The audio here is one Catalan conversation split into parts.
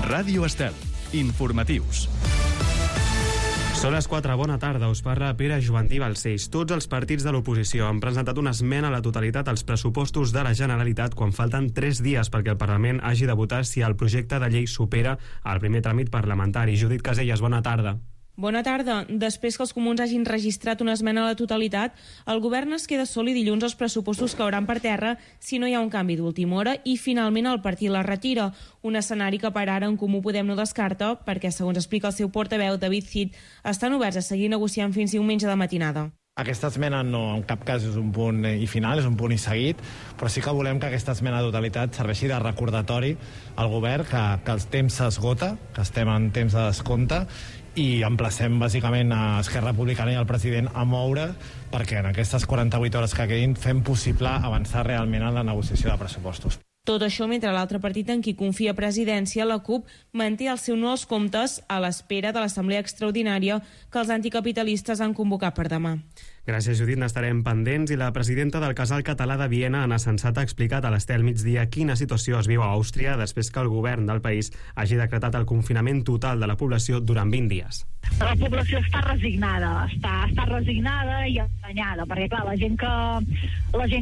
Ràdio Estel. Informatius. Són les 4, bona tarda, us parla Pere Jovantí Balcells. Tots els partits de l'oposició han presentat una esmena a la totalitat als pressupostos de la Generalitat quan falten 3 dies perquè el Parlament hagi de votar si el projecte de llei supera el primer tràmit parlamentari. Judit Casellas, bona tarda. Bona tarda. Després que els comuns hagin registrat una esmena a la totalitat, el govern es queda sol i dilluns els pressupostos cauran per terra si no hi ha un canvi d'última hora i finalment el partit la retira. Un escenari que per ara en Comú Podem no descarta perquè, segons explica el seu portaveu David Cid, estan oberts a seguir negociant fins diumenge de matinada. Aquesta esmena no, en cap cas és un punt i final, és un punt i seguit, però sí que volem que aquesta esmena de totalitat serveixi de recordatori al govern que el temps s'esgota, que estem en temps de descompte, i emplacem bàsicament a Esquerra Republicana i al president a moure perquè en aquestes 48 hores que quedin fem possible avançar realment en la negociació de pressupostos. Tot això mentre l'altre partit en qui confia presidència, la CUP, manté el seu no als comptes a l'espera de l'assemblea extraordinària que els anticapitalistes han convocat per demà. Gràcies, Judit, n'estarem pendents. I la presidenta del Casal Català de Viena, Anna Sensat, ha explicat a l'Estel Migdia quina situació es viu a Àustria després que el govern del país hagi decretat el confinament total de la població durant 20 dies. La població està resignada, està resignada i enganyada, perquè clar, la gent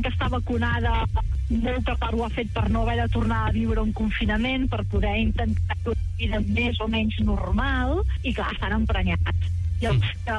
que està vacunada, molta part ho ha fet per no haver de tornar a viure un confinament, per poder intentar una vida més o menys normal, i clar, estan emprenyats. I els que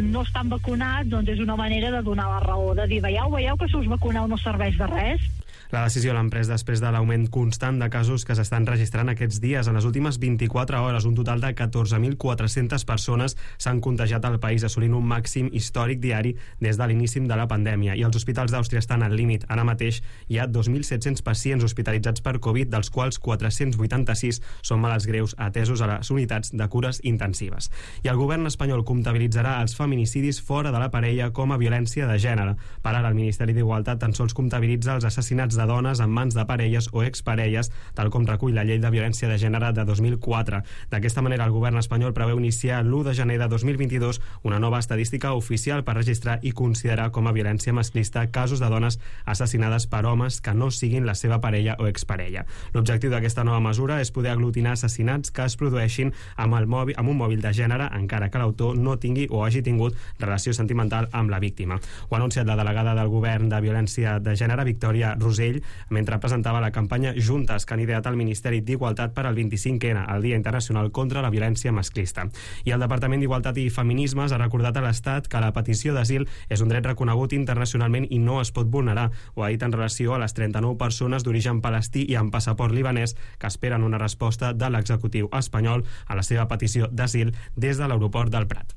no estan vacunats, doncs és una manera de donar la raó, de dir, veieu que si us vacuneu no serveix de res. La decisió l'han pres després de l'augment constant de casos que s'estan registrant aquests dies. En les últimes 24 hores, un total de 14.400 persones s'han contagiat al país, assolint un màxim històric diari des de l'inici de la pandèmia. I els hospitals d'Àustria estan al límit. Ara mateix hi ha 2.700 pacients hospitalitzats per Covid, dels quals 486 són malalts greus atesos a les unitats de cures intensives. I el govern espanyol comptabilitzarà els feminicidis fora de la parella com a violència de gènere. Per ara, el Ministeri d'Igualtat tan sols comptabilitza els assassinats de dones en mans de parelles o exparelles, tal com recull la llei de violència de gènere de 2004. D'aquesta manera, el govern espanyol preveu iniciar l'1 de gener de 2022 una nova estadística oficial per registrar i considerar com a violència masclista casos de dones assassinades per homes que no siguin la seva parella o exparella. L'objectiu d'aquesta nova mesura és poder aglutinar assassinats que es produeixin amb un mòbil de gènere, encara que l'autor no tingui o hagi tingut relació sentimental amb la víctima. Ho ha anunciat la delegada del govern de violència de gènere, Victòria Rosell, mentre presentava la campanya Juntes, que han ideat el Ministeri d'Igualtat per al 25N, el Dia Internacional contra la Violència Masclista. I el Departament d'Igualtat i Feminismes ha recordat a l'Estat que la petició d'asil és un dret reconegut internacionalment i no es pot vulnerar. Ho ha dit en relació a les 39 persones d'origen palestí i amb passaport libanès que esperen una resposta de l'executiu espanyol a la seva petició d'asil des de l'aeroport del Prat.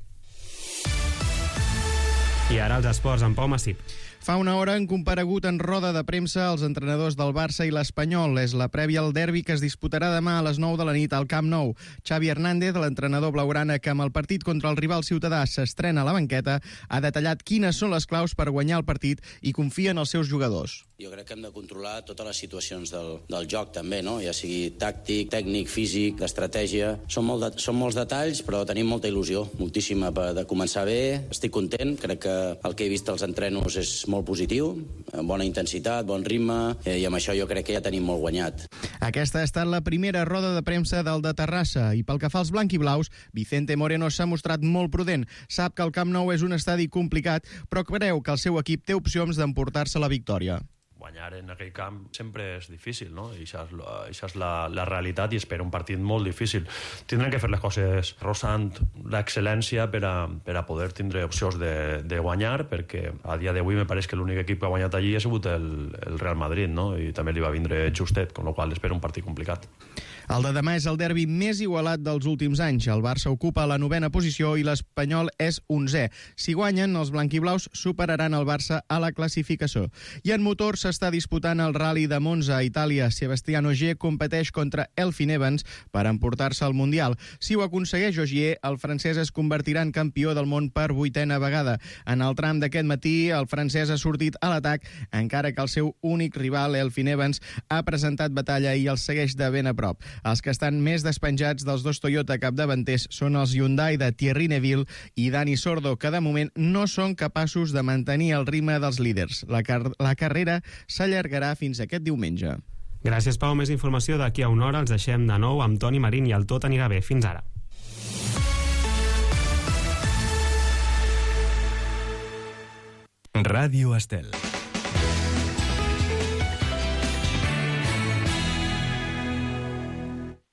I ara els esports, en Pau Massip. Fa una hora han comparegut en roda de premsa els entrenadors del Barça i l'Espanyol. És la prèvia al derbi que es disputarà demà a les 9 de la nit al Camp Nou. Xavi Hernández, l'entrenador blaugrana que amb el partit contra el rival ciutadà s'estrena a la banqueta, ha detallat quines són les claus per guanyar el partit i confia en els seus jugadors. Jo crec que hem de controlar totes les situacions del joc també, no? Ja sigui tàctic, tècnic, físic, d'estratègia. Són molts detalls, però tenim molta il·lusió, moltíssima de començar bé. Estic content, crec que el que he vist als entrenos és molt positiu, amb bona intensitat, bon ritme, i amb això jo crec que ja tenim molt guanyat. Aquesta ha estat la primera roda de premsa del de Terrassa, i pel que fa als blanquiblaus, Vicente Moreno s'ha mostrat molt prudent. Sap que el Camp Nou és un estadi complicat, però creu que el seu equip té opcions d'emportar-se la victòria. Guanyar en aquell camp sempre és difícil, no? I això és la realitat i espera un partit molt difícil. Tindrem que fer les coses rosant l'excel·lència per a poder tindre opcions de guanyar, perquè a dia d'avui me pareix que l'únic equip que ha guanyat allí ha sigut el Real Madrid, no? I també li va vindre justet, amb la qual cosa espera un partit complicat. El de demà és el derbi més igualat dels últims anys. El Barça ocupa la 9a posició i l'Espanyol és 11è. Si guanyen, els blanquiblaus superaran el Barça a la classificació. I en motor s'està disputant el Rally de Monza a Itàlia. Sebastián Ogier competeix contra Elfyn Evans per emportar-se al Mundial. Si ho aconsegueix Ogier, el francès es convertirà en campió del món per 8a vegada. En el tram d'aquest matí, el francès ha sortit a l'atac, encara que el seu únic rival, Elfyn Evans, ha presentat batalla i el segueix de ben a prop. Els que estan més despenjats dels dos Toyota capdavanters són els Hyundai de Thierry Neuville i Dani Sordo, que de moment no són capaços de mantenir el ritme dels líders. La carrera s'allargarà fins aquest diumenge. Gràcies, Pau. Més informació d'aquí a una hora. Els deixem de nou amb Toni Marín i el Tot anirà bé. Fins ara. Ràdio Estel.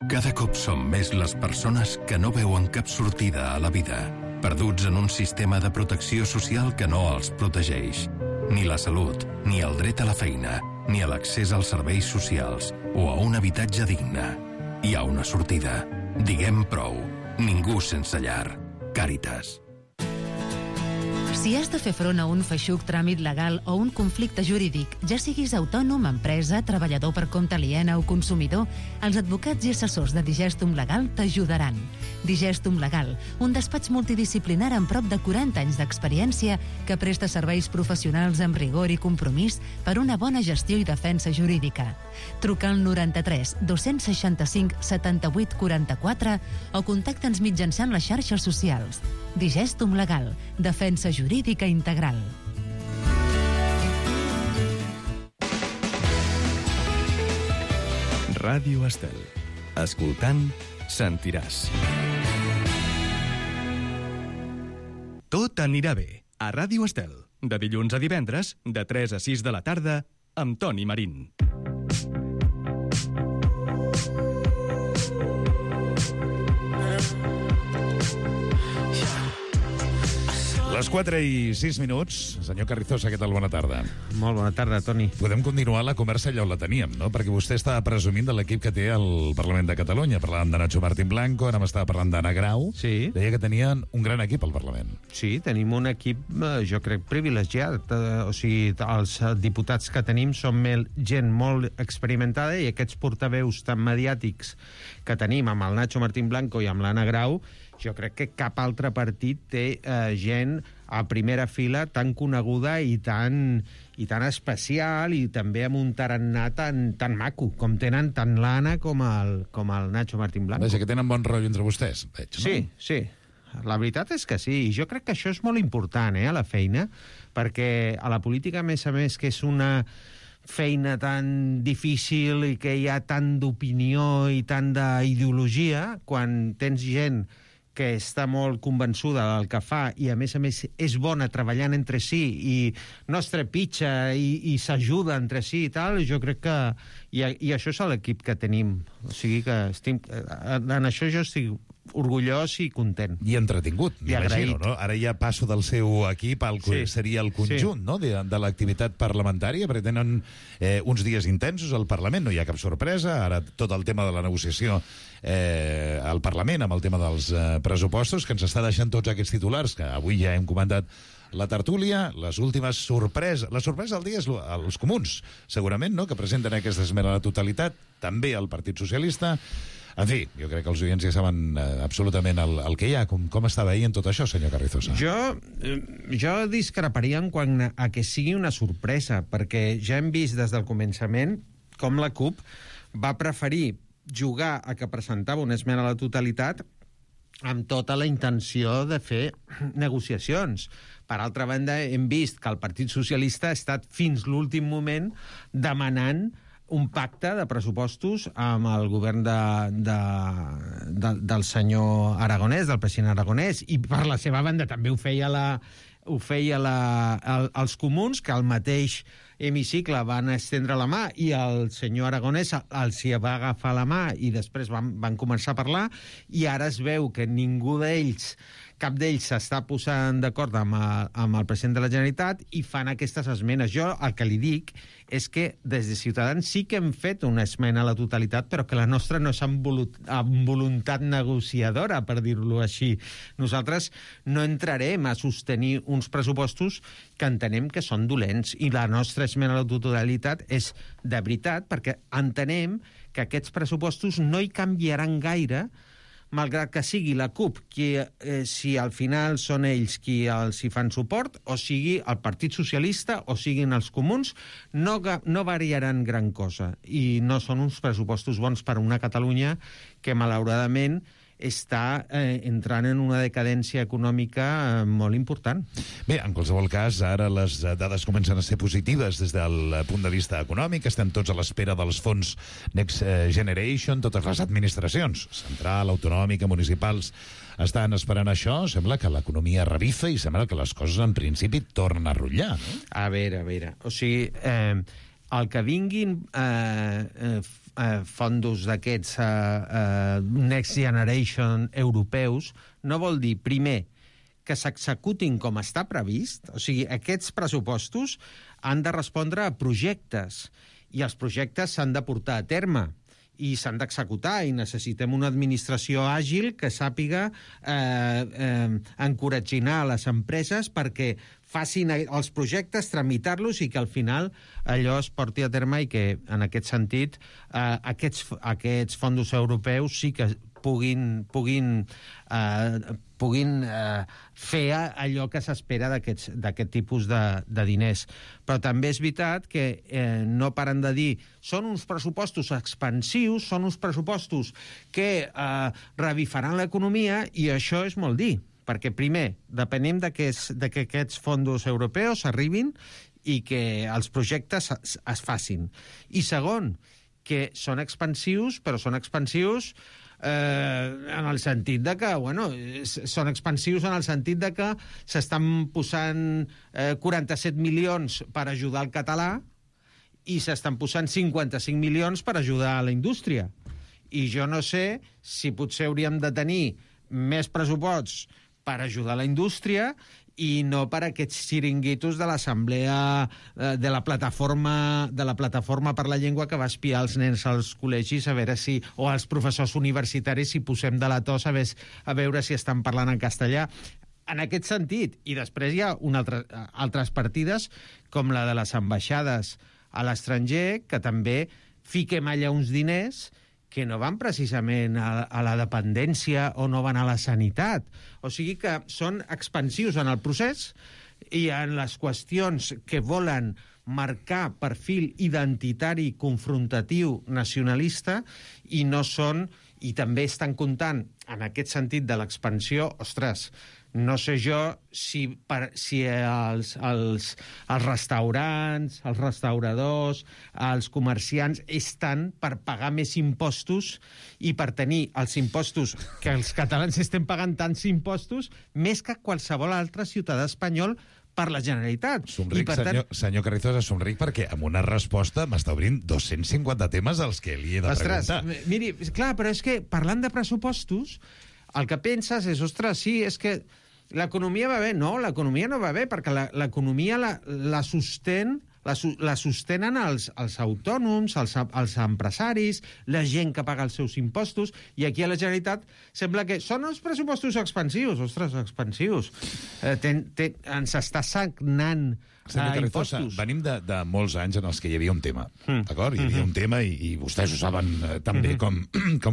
Cada cop som més les persones que no veuen cap sortida a la vida, perduts en un sistema de protecció social que no els protegeix. Ni la salut, ni el dret a la feina, ni a l'accés als serveis socials o a un habitatge digne. Hi ha una sortida. Diguem prou. Ningú sense llar. Càritas. Si has de fer front a un feixuc tràmit legal o un conflicte jurídic, ja siguis autònom, empresa, treballador per compte aliena o consumidor, els advocats i assessors de Digestum Legal t'ajudaran. Digestum Legal, un despatx multidisciplinar amb prop de 40 anys d'experiència que presta serveis professionals amb rigor i compromís per una bona gestió i defensa jurídica. Truca al 93 265 78 44 o contacta'ns mitjançant les xarxes socials. Digestum Legal, defensa jurídica integral. Ràdio Estel. Escoltant, sentiràs. Tot anirà bé. A Ràdio Estel. De dilluns a divendres, de 3 a 6 de la tarda, amb Toni Marín. Les 4 i 6 minuts. Senyor Carrizosa, què tal? Bona tarda. Molt bona tarda, Toni. Podem continuar la conversa allà on la teníem, no? Perquè vostè està presumint de l'equip que té al Parlament de Catalunya. Parlàvem de Nacho Martín Blanco, ara m'estava parlant d'Anna Grau. Sí. Deia que tenien un gran equip al Parlament. Sí, tenim un equip, jo crec, privilegiat. O sigui, els diputats que tenim són gent molt experimentada i aquests portaveus tan mediàtics que tenim amb el Nacho Martín Blanco i amb l'Anna Grau, jo crec que cap altre partit té gent a primera fila tan coneguda i tan especial i també amb un tarannà tan maco, com tenen tant l'Anna com el Nacho Martín Blanco. Vaja, que tenen bon rotllo entre vostès, veig, no? Sí, sí. La veritat és que sí, i jo crec que això és molt important, a la feina, perquè a la política, a més, que és una feina tan difícil i que hi ha tant d'opinió i tant d'ideologia, quan tens gent que està molt convençuda del que fa i, a més, és bona treballant entre si i no es trepitja i s'ajuda entre si i tal, jo crec que... I això és l'equip que tenim. O sigui que en això jo estic orgullós i content. I entretingut, m'imagino, no? Ara ja passo del seu equip al que seria el conjunt, no?, de l'activitat parlamentària, perquè tenen uns dies intensos al Parlament, no hi ha cap sorpresa, ara tot el tema de la negociació al Parlament, amb el tema dels pressupostos, que ens està deixant tots aquests titulars, que avui ja hem comentat la tertúlia, les últimes sorpreses. La sorpresa del dia és els comuns, segurament, no?, que presenten aquesta esmena a la totalitat, també el Partit Socialista. En fi, jo crec que els oients ja saben absolutament el que hi ha. Com està veient tot això, senyor Carrizosa? Jo discreparia en quant a que sigui una sorpresa, perquè ja hem vist des del començament com la CUP va preferir jugar a que presentava una esmena a la totalitat amb tota la intenció de fer negociacions. Per altra banda, hem vist que el Partit Socialista ha estat fins l'últim moment demanant un pacte de pressupostos amb el govern del senyor Aragonès, del president Aragonès, i per la seva banda també ho feia els comuns, que al mateix hemicicle van estendre la mà i el senyor Aragonès els hi va agafar la mà i després van començar a parlar, i ara es veu que cap d'ells s'està posant d'acord amb el president de la Generalitat i fan aquestes esmenes. Jo el que li dic és que des de Ciutadans sí que hem fet una esmena a la totalitat, però que la nostra no és amb voluntat negociadora, per dir-ho així. Nosaltres no entrarem a sostenir uns pressupostos que entenem que són dolents, i la nostra esmena a la totalitat és de veritat, perquè entenem que aquests pressupostos no hi canviaran gaire, malgrat que sigui la CUP si al final són ells qui els hi fan suport, o sigui el Partit Socialista, o siguin els comuns, no variaran gran cosa. I no són uns pressupostos bons per a una Catalunya que, malauradament, està entrant en una decadència econòmica molt important. Bé, en qualsevol cas, ara les dades comencen a ser positives des del punt de vista econòmic. Estem tots a l'espera dels fons Next Generation, totes les administracions, central, autonòmica, municipals, estan esperant això. Sembla que l'economia revifa i sembla que les coses en principi tornen a rotllar, no? A veure. O sigui, el que vinguin fondos d'aquests Next Generation europeus no vol dir, primer, que s'executin com està previst. O sigui, aquests pressupostos han de respondre a projectes i els projectes s'han de portar a terme i s'han d'executar, i necessitem una administració àgil que sàpiga encoratginar les empreses perquè facin els projectes, tramitar-los i que al final allò es porti a terme i que, en aquest sentit, aquests fons europeus sí que puguin fer allò que s'espera d'aquest tipus de diners. Però també és veritat que no paren de dir són uns pressupostos expansius, són uns pressupostos que revifaran l'economia, i això és molt dir, perquè primer, depenem de que aquests fons europeus arribin i que els projectes es facin. I segon, que són expansius, però són expansius en el sentit de que, són expansius en el sentit de que s'estan posant 47 milions per ajudar el català i s'estan posant 55 milions per ajudar a la indústria. I jo no sé si potser hauríem de tenir més pressuposts per ajudar la indústria i no per aquests xiringuitos de l'assemblea de la plataforma per la llengua que va espiar els nens als col·legis a veure si, o als professors universitaris, si posem de la tos a veure si estan parlant en castellà. En aquest sentit, i després hi ha altres partides com la de les ambaixades a l'estranger, que també fiquem allà uns diners que no van precisament a la dependència o no van a la sanitat. O sigui que són expansius en el procés i en les qüestions que volen marcar perfil identitari, confrontatiu, nacionalista, i no són, i també estan comptant en aquest sentit de l'expansió. Ostres, no sé jo si els restaurants, els restauradors, els comerciants estan per pagar més impostos i per tenir els impostos, que els catalans estem pagant tants impostos, més que qualsevol altre ciutadà espanyol per la Generalitat. Somric, senyor Carrizosa, somric perquè amb una resposta m'està obrint 250 temes als que li he de preguntar. Miri, clar, però és que parlant de pressupostos, el que penses és, ostres, sí, és que l'economia va bé. No, l'economia no va bé, perquè l'economia la sostenen els autònoms, els empresaris, la gent que paga els seus impostos, i aquí a la Generalitat sembla que són els pressupostos expansius. Ostres, expansius. Ens està sagnant Senyor Carrizosa, venim de molts anys en els que hi havia un tema, d'acord? Hi havia un tema i vostès ho saben tan bé com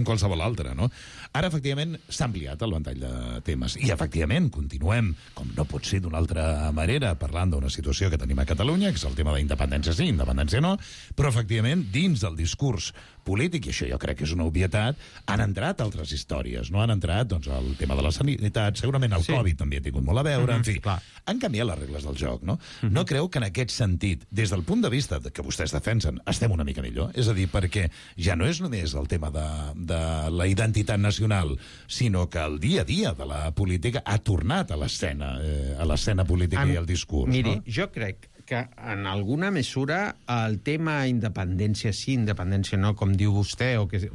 qualsevol altre, no? Ara, efectivament, s'ha ampliat el ventall de temes i, efectivament, continuem, com no pot ser d'una altra manera, parlant d'una situació que tenim a Catalunya, que és el tema d'independència sí, independència no, però, efectivament, dins del discurs polític, i això jo crec que és una obvietat, han entrat altres històries, no? Han entrat, doncs, el tema de la sanitat, segurament el Covid també ha tingut molt a veure, en fi, han canviat les regles del joc, no? No creu que en aquest sentit, des del punt de vista que vostès defensen, estem una mica millor? És a dir, perquè ja no és només el tema de la identitat nacional, sinó que el dia a dia de la política ha tornat a l'escena política i al discurs. Miri, jo crec que en alguna mesura el tema independència sí, independència no, com diu vostè, o que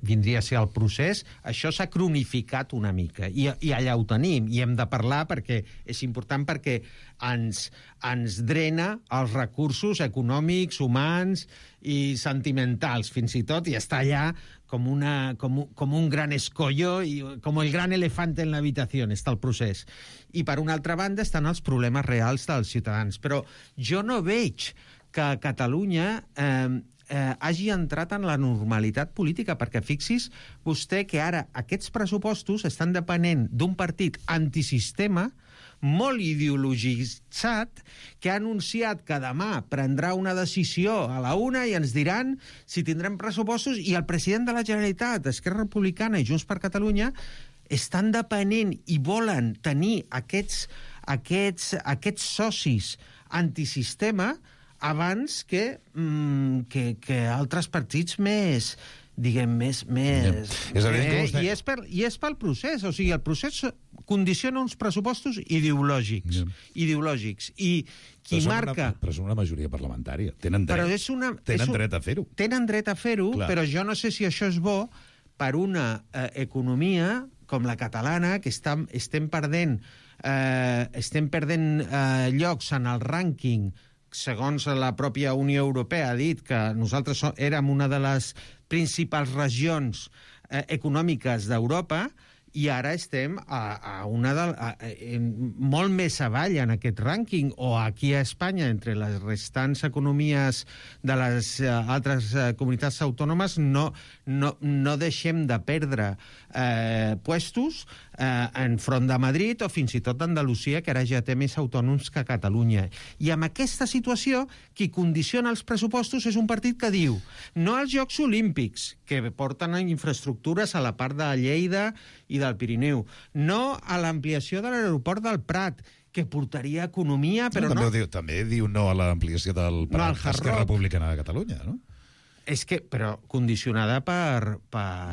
vindria a ser el procés, això s'ha cronificat una mica, i allà ho tenim, i hem de parlar perquè és important, perquè ens drena els recursos econòmics, humans i sentimentals, fins i tot, i està allà com un gran escollo, i com el gran elefant en l'habitació, està el procés. I per una altra banda estan els problemes reals dels ciutadans. Però jo no veig que Catalunya hagi entrat en la normalitat política, perquè fixi's vostè que ara aquests pressupostos estan depenent d'un partit antisistema molt ideologitzat, que ha anunciat que demà prendrà una decisió a la 1 i ens diran si tindrem pressupostos, i el president de la Generalitat, Esquerra Republicana i Junts per Catalunya estan depenent i volen tenir aquests socis antisistema abans que altres partits més, diguem, més... És evident que vostè... I és pel procés, o sigui, el procés condiciona uns pressupostos ideològics, i qui marca... Però és una majoria parlamentària, tenen dret a fer-ho. Tenen dret a fer-ho, però jo no sé si això és bo per una economia com la catalana, que estem perdent llocs en el rànquing. Segons la pròpia Unió Europea ha dit que nosaltres érem una de les principals regions econòmiques d'Europa, i ara estem molt més avall en aquest rànquing, o aquí a Espanya, entre les restants economies de les altres comunitats autònomes, no deixem de perdre puestos enfront de Madrid o fins i tot d'Andalusia, que ara ja té més autònoms que Catalunya. I amb aquesta situació, qui condiciona els pressupostos és un partit que diu no als Jocs Olímpics, que porten infraestructures a la part de Lleida i del Pirineu, no a l'ampliació de l'aeroport del Prat, que portaria economia, però no... També diu no a l'ampliació del Prat, Esquerra Republicana de Catalunya, no? És que, però condicionada per...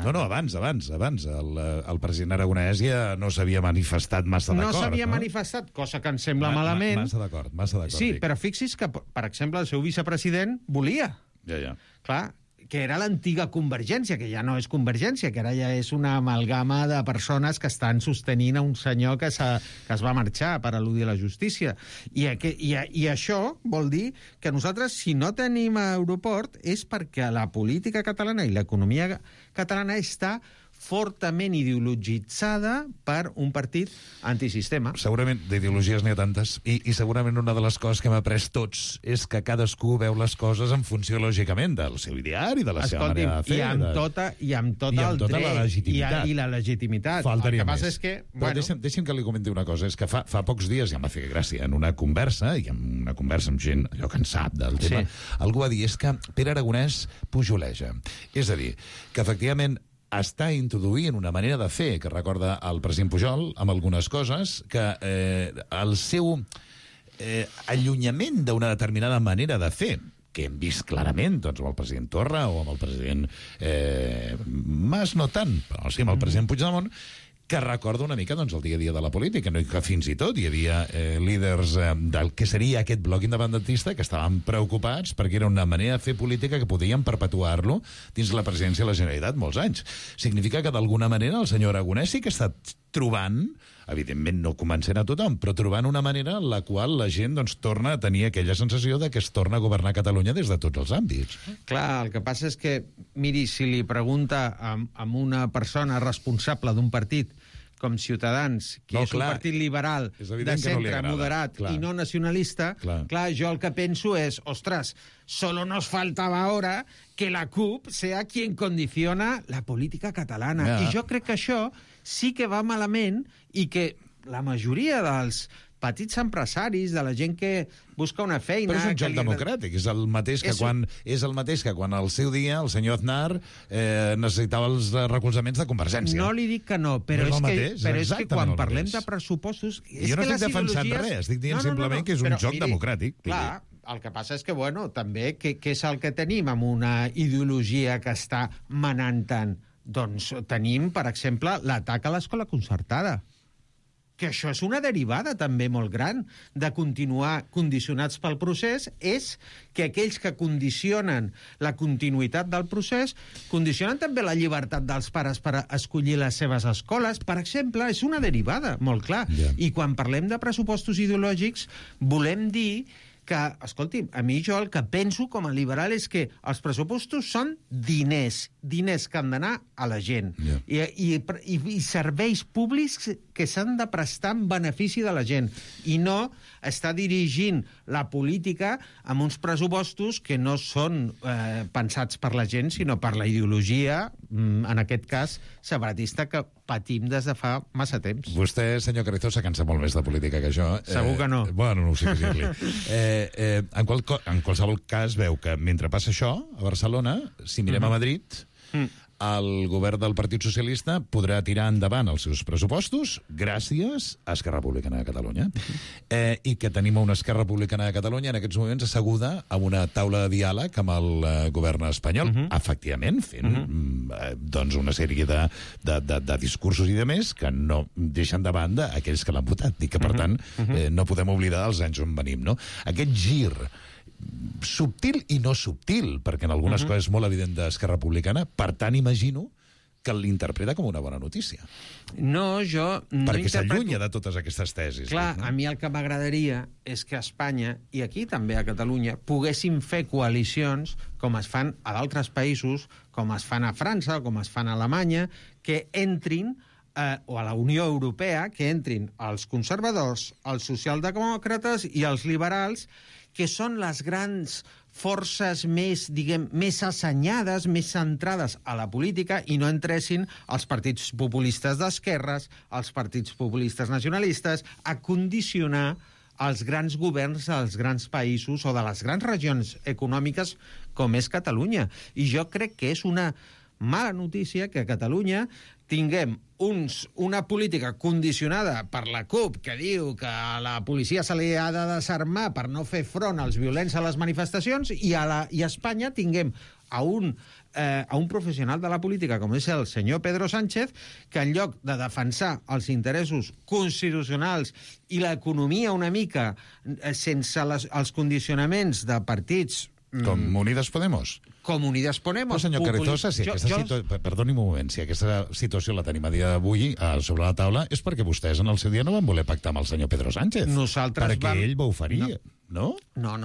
No, abans. El president Aragonès ja no s'havia manifestat massa d'acord. No s'havia manifestat, cosa que em sembla malament. Massa d'acord. Sí, però fixi's que, per exemple, el seu vicepresident volia. Ja. Clar, que era l'antiga Convergència, que ja no és Convergència, que ara ja és una amalgama de persones que estan sostenint a un senyor que es va marxar per al·ludir a la justícia. I això vol dir que nosaltres, si no tenim aeroport, és perquè la política catalana i l'economia catalana està fortament ideologitzada per un partit antisistema. Segurament d'ideologies n'hi ha tantes, i segurament una de les coses que hem après tots és que cadascú veu les coses en funció, lògicament, del seu ideari, de la seva manera de fer. I amb tot el dret. La legitimitat. I la legitimitat. Faltaria el que passa més. És que... Però deixi'm que li comenti una cosa. És que fa pocs dies, ja em va fer gràcia, en una conversa, amb gent allò que en sap del tema, algú va dir, és que Pere Aragonès pujoleja. És a dir, que efectivament està introduint una manera de fer que recorda el president Pujol amb algunes coses, que el seu allunyament d'una determinada manera de fer, que hem vist clarament doncs, amb el president Torra o amb el president Mas, no tant, però sí amb el president Puigdemont, que recorda una mica doncs, el dia a dia de la política, no? Que fins i tot hi havia líders del que seria aquest bloc independentista que estaven preocupats perquè era una manera de fer política que podien perpetuar-lo dins la presidència de la Generalitat molts anys. Significa que d'alguna manera el senyor Aragonès sí que està trobant, evidentment no convencent a tothom, però trobant una manera en la qual la gent doncs, torna a tenir aquella sensació de que es torna a governar Catalunya des de tots els àmbits. Clar, el que passa és que, miri, si li pregunta a una persona responsable d'un partit com Ciutadans, que és un partit liberal de centre, moderat i no nacionalista, clar, jo el que penso és, ostres, solo nos faltaba ahora que la CUP sea quien condiciona la política catalana. I jo crec que això sí que va malament i que la majoria dels petits empresaris, de la gent que busca una feina... Però és un joc democràtic, és el mateix que quan al seu dia el senyor Aznar necessitava els recolzaments de Convergència. No li dic que no, però és que quan parlem de pressupostos... Jo no estic defensant res, estic dient simplement que és un joc democràtic. Clar, el que passa és que, bueno, també, què és el que tenim amb una ideologia que està manant tant? Doncs tenim, per exemple, l'atac a l'escola concertada, que això és una derivada també molt gran de continuar condicionats pel procés, és que aquells que condicionen la continuïtat del procés condicionen també la llibertat dels pares per escollir les seves escoles. Per exemple, és una derivada, molt clar. I quan parlem de pressupostos ideològics, volem dir que, escolti'm, a mi jo el que penso com a liberal és que els pressupostos són diners que han d'anar a la gent. I serveis públics que s'han de prestar en benefici de la gent i no està dirigint la política amb uns pressupostos que no són pensats per la gent, sinó per la ideologia, en aquest cas, separatista, que patim des de fa massa temps. Vostè, senyor Carrizosa, cansa molt més de política que jo. Segur que no. Bueno, no ho sé què dir-li. En qualsevol cas, veu que mentre passa això, a Barcelona, si mirem a Madrid, el govern del Partit Socialista podrà tirar endavant els seus pressupostos gràcies a Esquerra Republicana de Catalunya. I que tenim una Esquerra Republicana de Catalunya en aquests moments asseguda a una taula de diàleg amb el govern espanyol, efectivament, fent doncs una sèrie de discursos i de més que no deixen de banda aquells que l'han votat i que, per tant, no podem oblidar els anys on venim, no? Aquest gir subtil i no subtil, perquè en algunes coses és molt evident d'Esquerra Republicana, per tant imagino que l'interpreta com una bona notícia. No, jo no perquè s'allunya de totes aquestes tesis. Clar, a mi el que m'agradaria és que a Espanya, i aquí també a Catalunya, poguéssim fer coalicions com es fan a d'altres països, com es fan a França, com es fan a Alemanya, que entrin o a la Unió Europea, que entrin els conservadors, els socialdemòcrates i els liberals, que són les grans forces més, diguem, més assenyades, més centrades a la política i no entressin els partits populistes d'esquerres, els partits populistes nacionalistes, a condicionar els grans governs dels grans països o de les grans regions econòmiques com és Catalunya. I jo crec que és una mala notícia que a Catalunya tinguem una política condicionada per la CUP que diu que a la policia se li ha de desarmar per no fer front als violents a les manifestacions i a Espanya tinguem a un professional de la política com és el senyor Pedro Sánchez, que en lloc de defensar els interessos constitucionals i l'economia una mica sense els condicionaments de partits com Unidas Podemos. Com Unidas Podemos. Però, senyor Carrizosa, perdoni'm un moment, si aquesta situació la tenim a dia d'avui sobre la taula és perquè vostès en el seu dia no van voler pactar amb el senyor Pedro Sánchez. Perquè ell va oferir, no? No.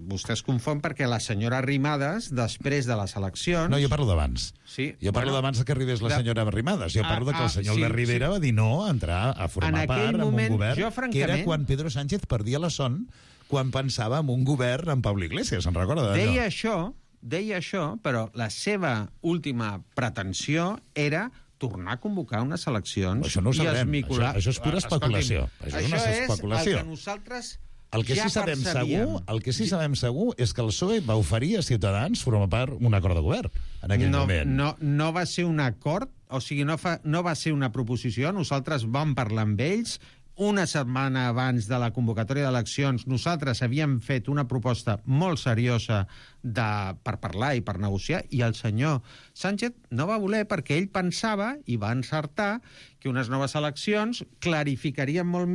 Vostè es confon perquè la senyora Arrimadas, després de les eleccions... No, jo parlo d'abans. Sí, jo parlo d'abans que arribés la senyora Arrimadas. Jo parlo que el senyor Albert Rivera va dir no a entrar a formar part en un govern que era quan Pedro Sánchez perdia la son quan pensava en un govern amb Pablo Iglesias, se'n recorda d'allò? Deia això, però la seva última pretensió era tornar a convocar unes eleccions... Això no ho sabrem, això és pura especulació. Això és una especulació. El que nosaltres el que sí sabem segur és que el PSOE va oferir a Ciutadans formar part d'un acord de govern en aquell moment. No va ser un acord, o sigui, no va ser una proposició, nosaltres vam parlar amb ells. Una setmana abans de la convocatòria d'eleccions nosaltres havíem fet una proposta molt seriosa per parlar i per negociar, i el senyor Sánchez no va voler perquè ell pensava, i va encertar, que unes noves eleccions clarificarien molt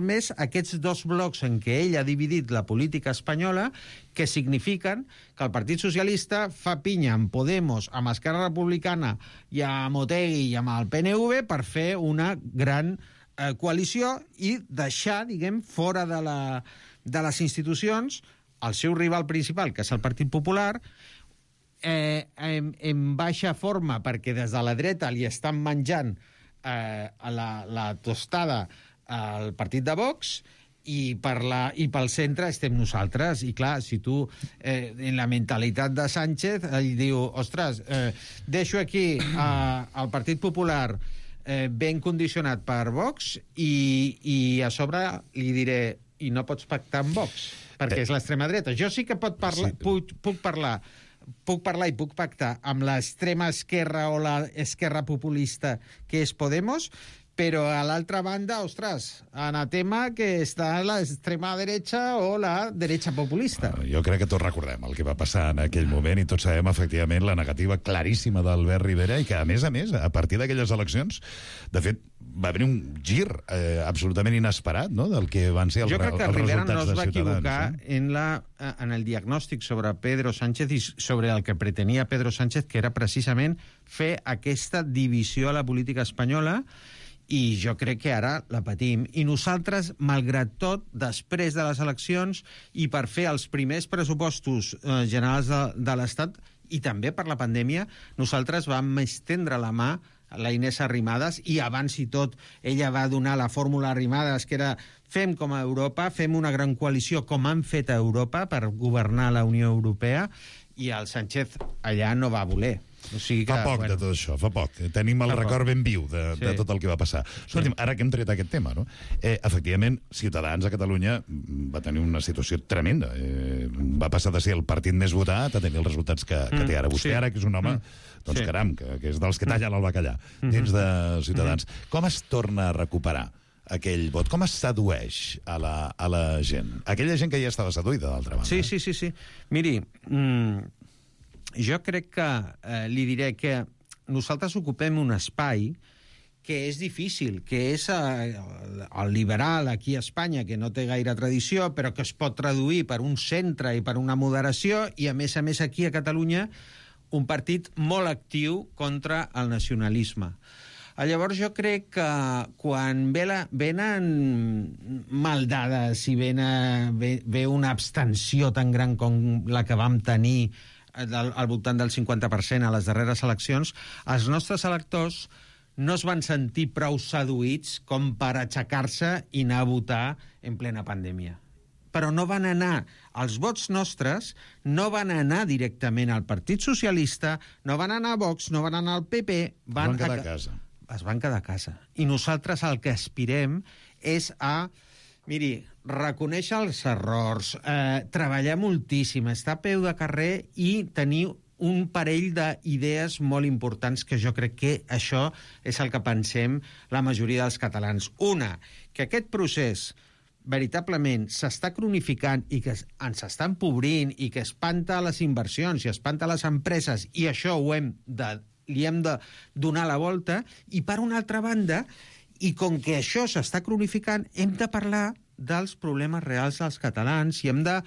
més aquests dos blocs en què ell ha dividit la política espanyola, que signifiquen que el Partit Socialista fa pinya amb Podemos, amb Esquerra Republicana i amb Otegi i amb el PNV per fer una gran coalició i deixar, diguem, fora de les institucions el seu rival principal, que és el Partit Popular, en baixa forma, perquè des de la dreta li estan menjant la tostada al partit de Vox, i pel centre estem nosaltres. I clar, si tu en la mentalitat de Sánchez ell diu, ostres, deixo aquí el Partit Popular ben condicionat per Vox i a sobre li diré i no pots pactar amb Vox perquè és l'extrema dreta. Jo sí que puc parlar i puc pactar amb l'extrema esquerra o l'esquerra populista que és Podemos, però a l'altra banda, ostres, anatema que està l'extrema dreta o la dreta populista. Jo crec que tots recordem el que va passar en aquell moment i tots sabem, efectivament, la negativa claríssima d'Albert Rivera i que, a més, a partir d'aquelles eleccions, de fet, va haver un gir absolutament inesperat, no?, del que van ser els resultats de Ciutadans. Jo crec que Rivera no es va equivocar en el diagnòstic sobre Pedro Sánchez i sobre el que pretenia Pedro Sánchez, que era precisament fer aquesta divisió a la política espanyola, i jo crec que ara la patim. I nosaltres, malgrat tot, després de les eleccions i per fer els primers pressupostos generals de l'Estat i també per la pandèmia, nosaltres vam estendre la mà la Inés Arrimadas, i abans i tot ella va donar la fórmula Arrimadas, que era fem com a Europa, fem una gran coalició com han fet a Europa per governar la Unió Europea, i el Sánchez allà no va voler. O sigui que, fa poc de tot això, fa poc. Tenim el record ben viu de tot el que va passar. Escolti'm, ara que hem tret aquest tema, no? Efectivament, Ciutadans a Catalunya va tenir una situació tremenda. Va passar de ser el partit més votat a tenir els resultats que té ara. Vostè ara, que és un home, doncs caram, que és dels que tallen el bacallà, dins de Ciutadans. Com es torna a recuperar aquell vot? Com es sedueix a la gent? Aquella gent que ja estava seduïda, d'altra banda. Sí. Miri, jo crec que li diré que nosaltres ocupem un espai que és difícil, que és el liberal aquí a Espanya, que no té gaire tradició, però que es pot traduir per un centre i per una moderació, i a més aquí a Catalunya un partit molt actiu contra el nacionalisme. Llavors jo crec que quan venen mal dades i ve una abstenció tan gran com la que vam tenir al voltant del 50% a les darreres eleccions, els nostres electors no es van sentir prou seduïts com per aixecar-se i anar a votar en plena pandèmia. Però no van anar, els vots nostres no van anar directament al Partit Socialista, no van anar a Vox, no van anar al PP... Van quedar a casa. Es van quedar a casa. I nosaltres el que aspirem és a... Miri, reconèixer els errors, treballar moltíssim, estar a peu de carrer i tenir un parell d'idees molt importants que jo crec que això és el que pensem la majoria dels catalans. Una, que aquest procés veritablement s'està cronificant i que ens està empobrint i que espanta les inversions i espanta les empreses, i això li hem de donar la volta. I per una altra banda, i com que això s'està cronificant, hem de parlar dels problemes reals dels catalans i hem de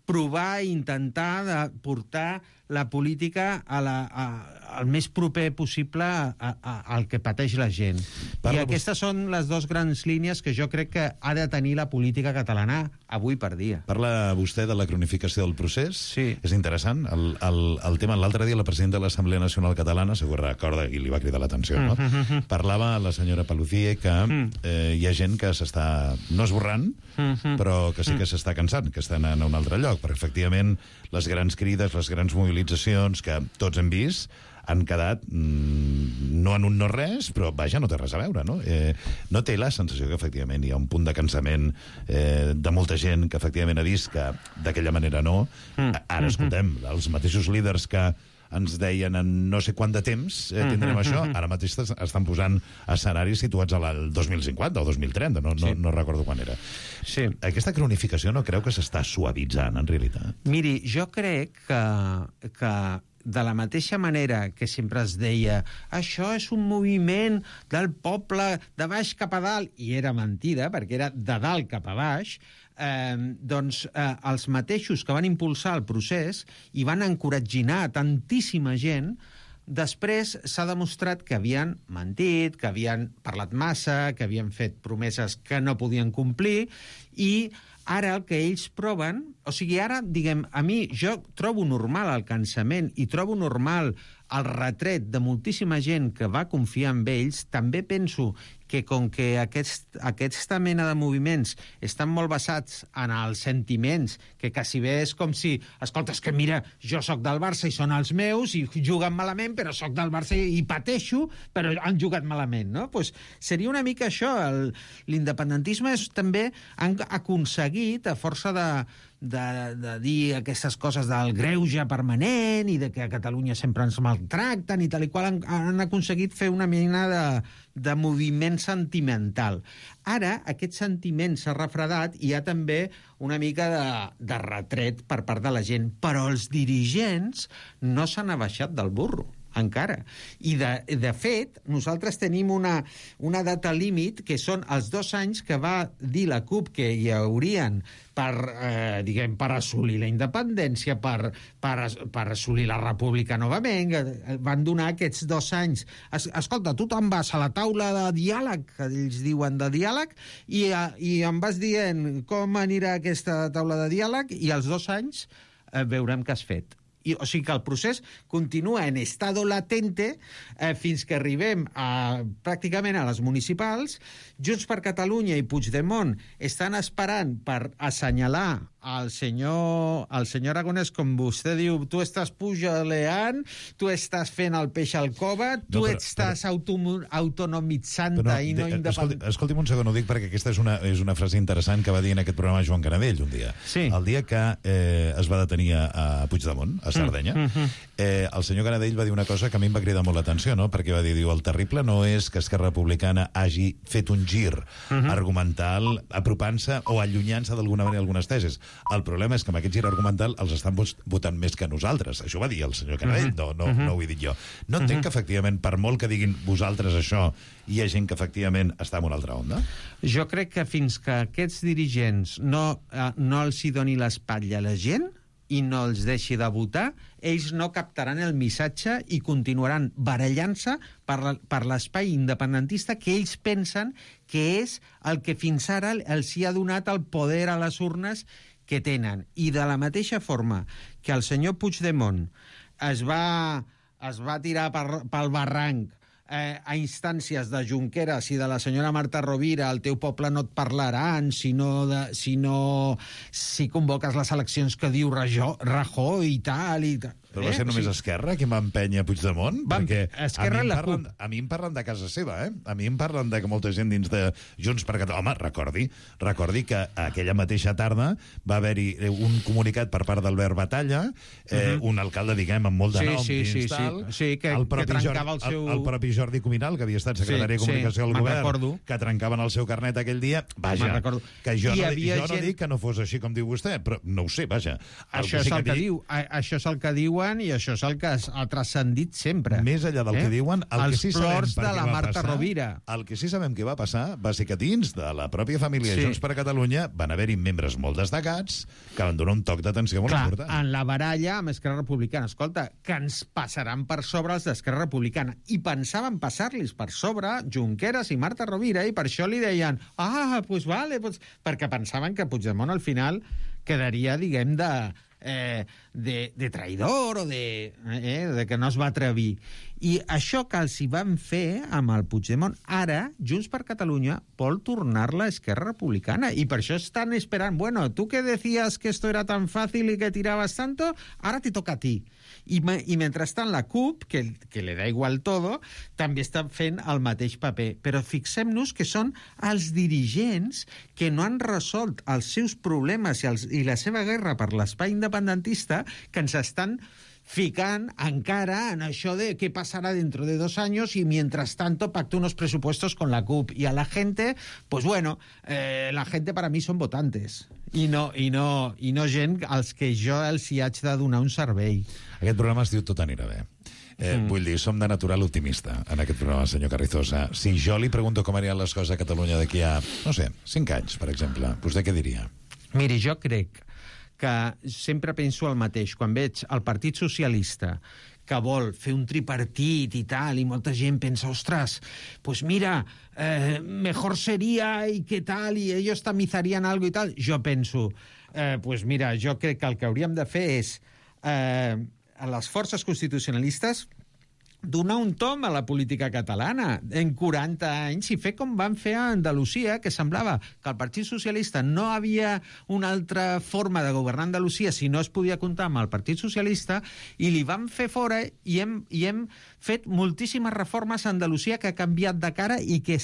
provar i intentar de portar la política al més proper possible al que pateix la gent. I aquestes són les dues grans línies que jo crec que ha de tenir la política catalana avui per dia. Parla vostè de la cronificació del procés. Sí. És interessant. El tema, l'altre dia la presidenta de l'Assemblea Nacional Catalana, segur que recorda, i li va cridar l'atenció, no? Parlava la senyora Paluzie que hi ha gent que s'està no esborrant, però que sí que s'està cansant, que estan en un altre lloc, perquè efectivament les grans crides, les grans mobilitzacions que tots hem vist han quedat no en un no res, però vaja, no té res a veure, no? No té la sensació que efectivament hi ha un punt de cansament de molta gent que efectivament ha vist que d'aquella manera no. Ara escoltem, els mateixos líders que ens deien en no sé quant de temps tindrem això, ara mateix estan posant escenaris situats al 2050 o 2030, no recordo quan era. Sí. Aquesta cronificació no creu que s'està suavitzant, en realitat? Miri, jo crec que de la mateixa manera que sempre es deia això és un moviment del poble de baix cap a dalt, i era mentida, perquè era de dalt cap a baix, doncs els mateixos que van impulsar el procés i van encoratginar tantíssima gent, després s'ha demostrat que havien mentit, que havien parlat massa, que havien fet promeses que no podien complir, i ara el que ells proven... O sigui, ara, diguem, a mi jo trobo normal el cansament i trobo normal el retret de moltíssima gent que va confiar en ells. També penso que com que aquesta mena de moviments estan molt basats en els sentiments, que quasi bé és com si, escolta, és que mira, jo sóc del Barça i són els meus i juguen malament, però sóc del Barça i pateixo, però han jugat malament, no? Pues seria una mica això. L'independentisme també han aconseguit, a força de dir aquestes coses del greuge permanent i de que a Catalunya sempre ens maltracten i tal i qual, han aconseguit fer una mena de moviment sentimental. Ara aquest sentiment s'ha refredat i hi ha també una mica de retret per part de la gent, però els dirigents no s'han abaixat del burro encara. I de fet, nosaltres tenim una data límit que són els 2 anys que va dir la CUP que hi haurien per assolir la independència, per assolir la república novament. Van donar aquests 2 anys. Escolta, tu te'n vas a la taula de diàleg, que ells diuen de diàleg, i em vas dient com anirà aquesta taula de diàleg, i als 2 anys veurem què has fet. O sigui que el procés continua en estado latente fins que arribem pràcticament a les municipals. Junts per Catalunya i Puigdemont estan esperant per assenyalar al senyor Aragonès, com vostè diu, tu estàs pujaleant, tu estàs fent el peix al cova, tu estàs autonomitzant-te i no independent. Escolti'm un segon, ho dic perquè aquesta és una frase interessant que va dir en aquest programa Joan Canadell un dia. Sí. El dia que es va detenir a Puigdemont, a Sardenya, el senyor Canadell va dir una cosa que a mi em va cridar molt l'atenció, no? Perquè va dir, el terrible no és que Esquerra Republicana hagi fet un gir argumental apropant-se o allunyant-se d'alguna manera algunes tesis. El problema és que amb aquest gir argumental els estan votant més que nosaltres. Això va dir el senyor Canadell, no ho he dit jo. No entenc que, efectivament, per molt que diguin vosaltres això, hi ha gent que, efectivament, està en una altra onda? Jo crec que fins que aquests dirigents no els hi doni l'espatlla a la gent i no els deixi de votar, ells no captaran el missatge i continuaran barallant-se per l'espai independentista que ells pensen que és el que fins ara els hi ha donat el poder a les urnes que tenen. I de la mateixa forma que el senyor Puigdemont es va tirar pel barranc a instàncies de Junqueras i de la senyora Marta Rovira, el teu poble no et parlaran si convoques les eleccions que diu Rajoy i tal. Però va ser només Esquerra qui va empènyer Puigdemont? Perquè Esquerra i la CUP. A mi em parlen de casa seva, A mi em parlen de que molta gent dins de Junts per Catalunya... Home, recordi que aquella mateixa tarda va haver-hi un comunicat per part d'Albert Batalla, un alcalde, diguem, amb molt de nom dins tal... Sí, que trencava el seu... El propi Jordi Cuminal, que havia estat secretari de Comunicació del Govern, que trencaven el seu carnet aquell dia. Vaja, que jo no dic que no fos així com diu vostè, però no ho sé, vaja. Això és el que diuen i això és el que ha transcendit sempre. Més enllà del que diuen, el que sí sabem de la Marta Rovira. El que sí sabem que va passar va ser que dins de la pròpia família Junts per Catalunya van haver-hi membres molt destacats que van donar un toc d'atenció molt important. En la baralla amb Esquerra Republicana, escolta, que ens passaran per sobre els d'Esquerra Republicana. I pensaven passar-los per sobre Junqueras i Marta Rovira i per això li deien pues vale, perquè pensaven que Puigdemont al final quedaria, diguem, de traïdor o de que no es va atrevir. I això que els hi van fer amb el Puigdemont, ara Junts per Catalunya vol tornar-la a Esquerra Republicana i per això estan esperant, bueno, tu que decías que esto era tan fácil y que tirabas tanto, ara te toca a ti. I mentrestant la CUP, que le da igual todo, també està fent el mateix paper. Però fixem-nos que són els dirigents que no han resolt els seus problemes i la seva guerra per l'espai independentista que ens estan ficant encara en això de qué pasará dentro de 2 años y mientras tanto pacto unos presupuestos con la CUP. Y a la gente, pues bueno, la gente para mí son votantes i no gent als que jo els hi haig de donar un servei. Aquest programa es diu Tot anirà bé. Vull dir, som de natural optimista en aquest programa, senyor Carrizosa. Si jo li pregunto com aniran les coses a Catalunya d'aquí a, no sé, 5 anys, per exemple, vostè què diria? Miri, jo crec que sempre penso el mateix. Quan veig el Partit Socialista que vol fer un tripartit i tal, i molta gent pensa, ostres, pues mira, mejor sería y qué tal, y ellos tamizarían algo y tal. Jo penso, pues mira, jo crec que el que hauríem de fer és a les forces constitucionalistes donar un tom a la política catalana en 40 anys i fer com van fer a Andalusia, que semblava que el Partit Socialista no havia una altra forma de governar Andalusia si no es podia comptar amb el Partit Socialista, i li van fer fora i hem fet moltíssimes reformes a Andalusia que ha canviat de cara i que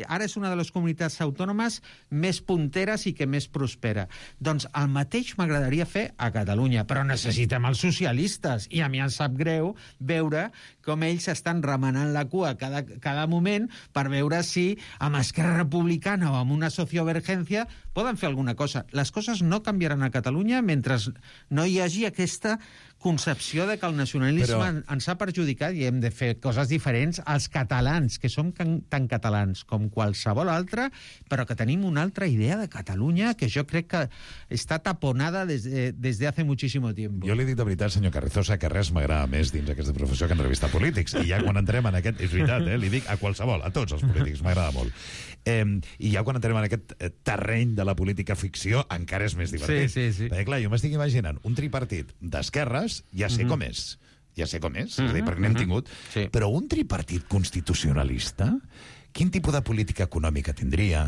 ara és una de les comunitats autònomes més punteres i que més prospera. Doncs el mateix m'agradaria fer a Catalunya, però necessitem els socialistes, i a mi em sap greu veure com ells estan remenant la cua cada moment per veure si amb Esquerra Republicana o amb una sociovergència poden fer alguna cosa. Les coses no canviaran a Catalunya mentre no hi hagi aquesta concepció de que el nacionalisme ens ha perjudicat i hem de fer coses diferents als catalans, que som tan catalans com qualsevol altre, però que tenim una altra idea de Catalunya que jo crec que està taponada des de hace muchísimo tiempo. Jo li dic de veritat, senyor Carrizosa, que res m'agrada més dins aquesta professió que entrevistar polítics. I ja quan entrem en aquest... És veritat, li dic a qualsevol, a tots els polítics, m'agrada molt. I ja quan entrem en aquest terreny de la política ficció, encara és més divertit. Sí. Perquè, clar, jo m'estic imaginant un tripartit d'esquerres, ja sé com és, és a dir, perquè n'hem tingut, però un tripartit constitucionalista, quin tipus de política econòmica tindria?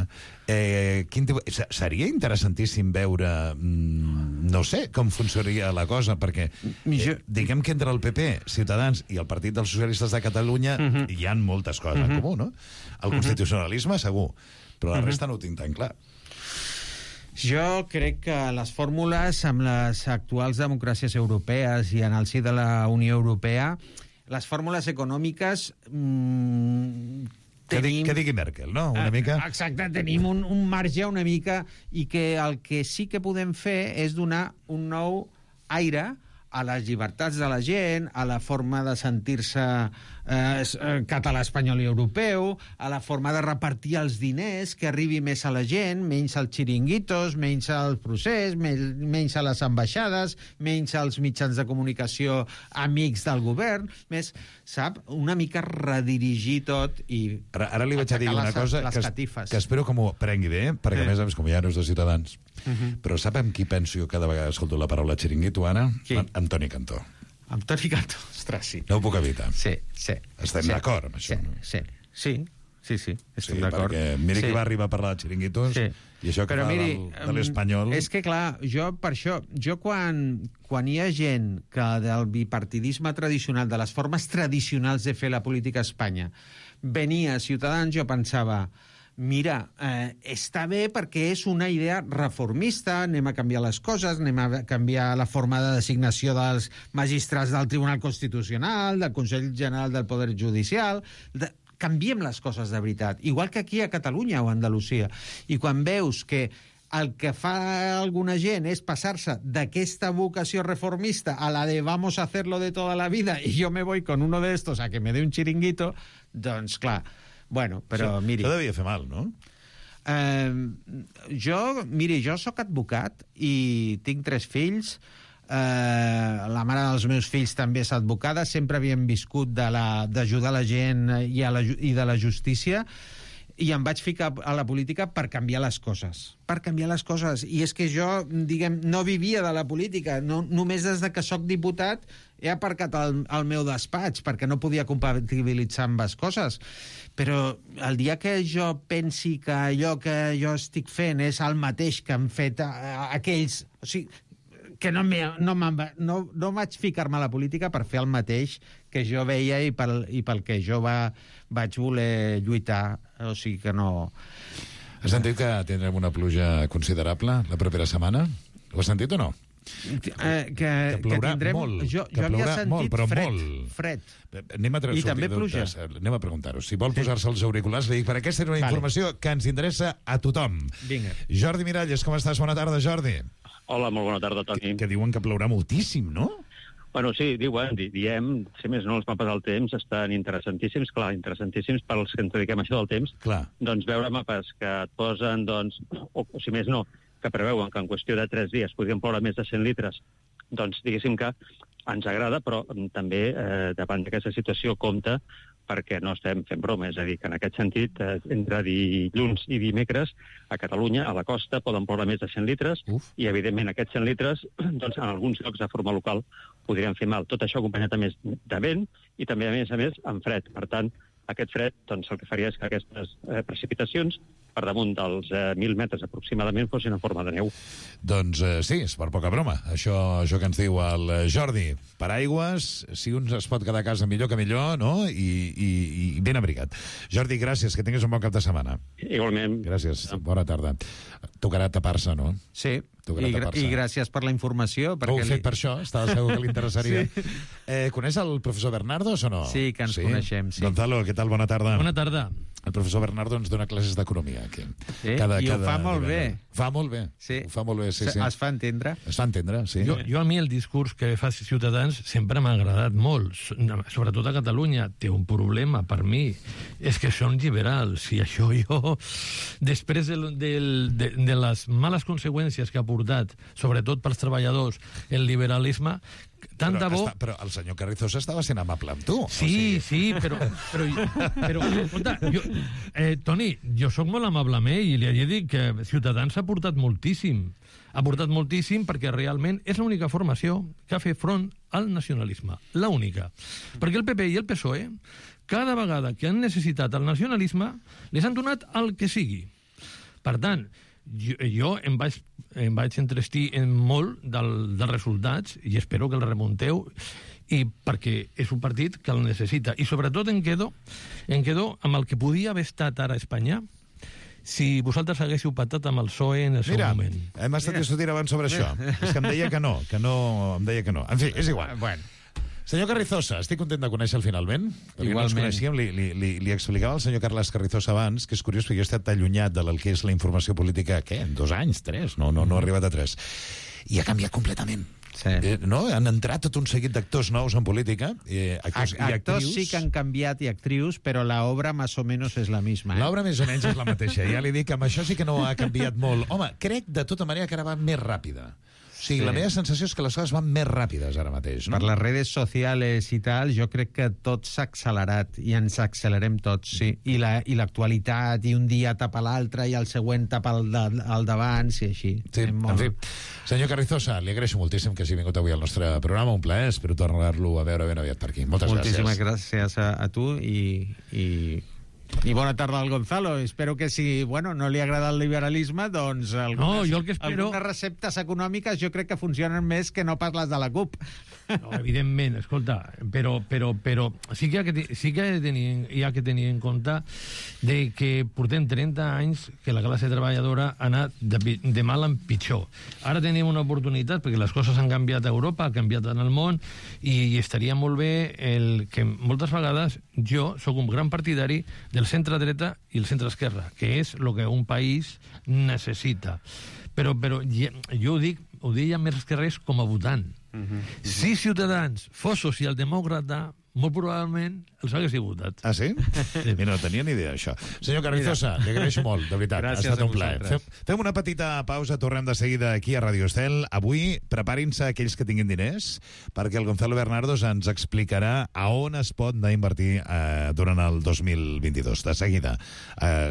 Seria interessantíssim veure, no sé, com funcionaria la cosa, perquè diguem que entre el PP, Ciutadans i el Partit dels Socialistes de Catalunya hi ha moltes coses en comú, no? El constitucionalisme, segur, però la resta no ho tinc tan clar. Jo crec que les fórmules amb les actuals democràcies europees i en el si de la Unió Europea, les fórmules econòmiques que digui Merkel, no? Una mica... Exacte, tenim un marge una mica i que el que sí que podem fer és donar un nou aire a les llibertats de la gent, a la forma de sentir-se català, espanyol i europeu, a la forma de repartir els diners, que arribi més a la gent, menys als xiringuitos, menys al procés, menys a les ambaixades, menys als mitjans de comunicació amics del govern, més, sap, una mica redirigir tot i... Ara li vaig a dir una cosa que espero que m'ho prengui bé, perquè a més, com ja no és de Ciutadans, però sap amb qui penso jo cada vegada escolto la paraula xiringuito, Anna? Antoni Cantó. Antoni Cantó, ostres, sí. No ho puc evitar. Sí. Estem d'acord amb això, no? Sí, estem d'acord. Perquè mira qui va arribar a parlar de xiringuitos i això que fa de l'espanyol... És que, clar, quan hi ha gent que del bipartidisme tradicional, de les formes tradicionals de fer la política a Espanya, venia a Ciutadans, jo pensava... Mira, està bé perquè és una idea reformista, anem a canviar les coses, anem a canviar la forma de designació dels magistrats del Tribunal Constitucional, del Consell General del Poder Judicial... Canviem les coses de veritat, igual que aquí a Catalunya o a Andalusia. I quan veus que el que fa alguna gent és passar-se d'aquesta vocació reformista a la de vamos a hacerlo de toda la vida y yo me voy con uno de estos a que me dé un chiringuito, doncs clar... Bueno, però miri... Això devia fer mal, no? Jo sóc advocat i tinc 3 fills. La mare dels meus fills també és advocada. Sempre havíem viscut d'ajudar la gent i de la justícia. I em vaig ficar a la política per canviar les coses. Per canviar les coses. I és que jo, diguem, no vivia de la política. Només des de que sóc diputat he aparcat el meu despatx perquè no podia compatibilitzar amb les coses. Però el dia que jo pensi que allò que jo estic fent és el mateix que han fet aquells... O sigui, que no vaig ficar-me a la política per fer el mateix que jo veia i pel que jo vaig voler lluitar. O sigui que no... Has sentit que tindrem una pluja considerable la propera setmana? Ho has sentit o no? Que plourà molt. Jo havia sentit fred. I també pluja. Anem a preguntar-ho. Si vol posar-se els auriculars, li dic, perquè aquesta és una informació que ens interessa a tothom. Vinga. Jordi Miralles, com estàs? Bona tarda, Jordi. Hola, molt bona tarda, Toni. Que diuen que plourà moltíssim, no? Bueno, sí, diem, si més no, els mapes del temps estan interessantíssims, clar, interessantíssims pels que ens dediquem a això del temps. Clar. Doncs veure mapes que et posen, doncs, o si més no, que preveuen que en qüestió de 3 dies podrien ploure més de 100 litres, doncs diguéssim que ens agrada, però també davant d'aquesta situació compta perquè no estem fent broma, és a dir, que en aquest sentit, entre dilluns i dimecres, a Catalunya, a la costa, poden ploure més de 100 litres, i evidentment aquests 100 litres, doncs en alguns llocs de forma local podrien fer mal. Tot això acompanyat a més de vent i també, a més, amb fred. Per tant, aquest fred, doncs el que faria és que aquestes precipitacions per damunt dels 1.000 metres aproximadament fossin en forma de neu. Doncs sí, és per poca broma. Això que ens diu el Jordi. Paraigües, si un es pot quedar a casa millor que millor, no? I ben abrigat. Jordi, gràcies, que tinguis un bon cap de setmana. Igualment. Gràcies, bona tarda. Tocarà tapar-se, no? Sí, i gràcies per la informació. Ho he fet per això, estava segur que li interessaria. Sí. Coneix el professor Bernardos o no? Sí, que ens coneixem, sí. Gonzalo, què tal? Bona tarda. Bona tarda. El professor Bernardo ens dona classes d'economia aquí. Sí, i ho fa molt bé. Fa molt bé. Sí. Ho fa molt bé, sí. Es fa entendre. Es fa entendre, sí. Jo a mi el discurs que fa Ciutadans sempre m'ha agradat molt, sobretot a Catalunya. Té un problema per mi, és que són liberals, i això jo, després de les males conseqüències que ha portat, sobretot pels treballadors, el liberalisme, tant de bo... Però el senyor Carrizosa estava sent amable amb tu. Sí, però escolta, Toni, jo sóc molt amable amb ell i li he de dir que Ciutadans ha portat moltíssim. Ha portat moltíssim perquè realment és l'única formació que ha fet front al nacionalisme. L'única. Perquè el PP i el PSOE, cada vegada que han necessitat el nacionalisme, les han donat el que sigui. Per tant, jo em vaig entrestir en molt dels resultats i espero que el remunteu i perquè és un partit que el necessita. I sobretot em quedo amb el que podia haver estat ara a Espanya si vosaltres haguéssiu patat amb el PSOE en el seu moment. Mira, hem estat discutint abans sobre això. És que em deia que no, em deia que no. En fi, és igual. Bueno. Senyor Carrizosa, estic content de conèixer-lo finalment. Igualment. No ens coneixíem, li explicava al senyor Carles Carrizosa abans, que és curiós perquè jo he estat allunyat del que és la informació política, en 2 anys, 3, no ha arribat a 3. I ha canviat completament. Sí. No? Han entrat tot un seguit d'actors nous en política, actors i actrius. Sí que han canviat i actrius, però l'obra més o menys és la misma. L'obra més o menys és la mateixa. Ja li dic que amb això sí que no ha canviat molt. Home, crec de tota manera que ara va més ràpida. O sigui, la meva sensació és que les coses van més ràpides ara mateix, no? Per les redes socials i tal, jo crec que tot s'ha accelerat i ens accelerem tots, sí. I l'actualitat, i un dia tapa l'altre i el següent tapa el d'abans i així. Sí, en fi. Senyor Carrizosa, li agraeixo moltíssim que hagi vingut avui al nostre programa, un plaer, espero tornar-lo a veure ben aviat per aquí. Moltes gràcies. Moltíssimes gràcies a tu i bona tarda al Gonzalo. Espero que si, no li agrada el liberalisme, doncs algunes receptes econòmiques jo crec que funcionen més que no pas les de la CUP. No, evidentment, escolta, però sí que hi ha que tenir en compte de que portem 30 anys que la classe treballadora ha anat de mal en pitjor. Ara tenim una oportunitat perquè les coses han canviat a Europa, han canviat en el món i estaria molt bé que moltes vegades jo sóc un gran partidari del centre-dreta i el centre-esquerra, que és el que un país necessita. Però jo ho deia més que res com a votant. Si Ciutadans fos socialdemòcrata, molt probablement els hagués votat. Ah, sí? Mira, no tenia ni idea, això. Senyor Carrizosa, li agraeixo molt, de veritat. Gràcies, ha estat un plaer. Fem una petita pausa, tornem de seguida aquí a Radio Estel. Avui, preparin-se aquells que tinguin diners, perquè el Gonzalo Bernardos ens explicarà a on es pot anar a invertir durant el 2022. De seguida.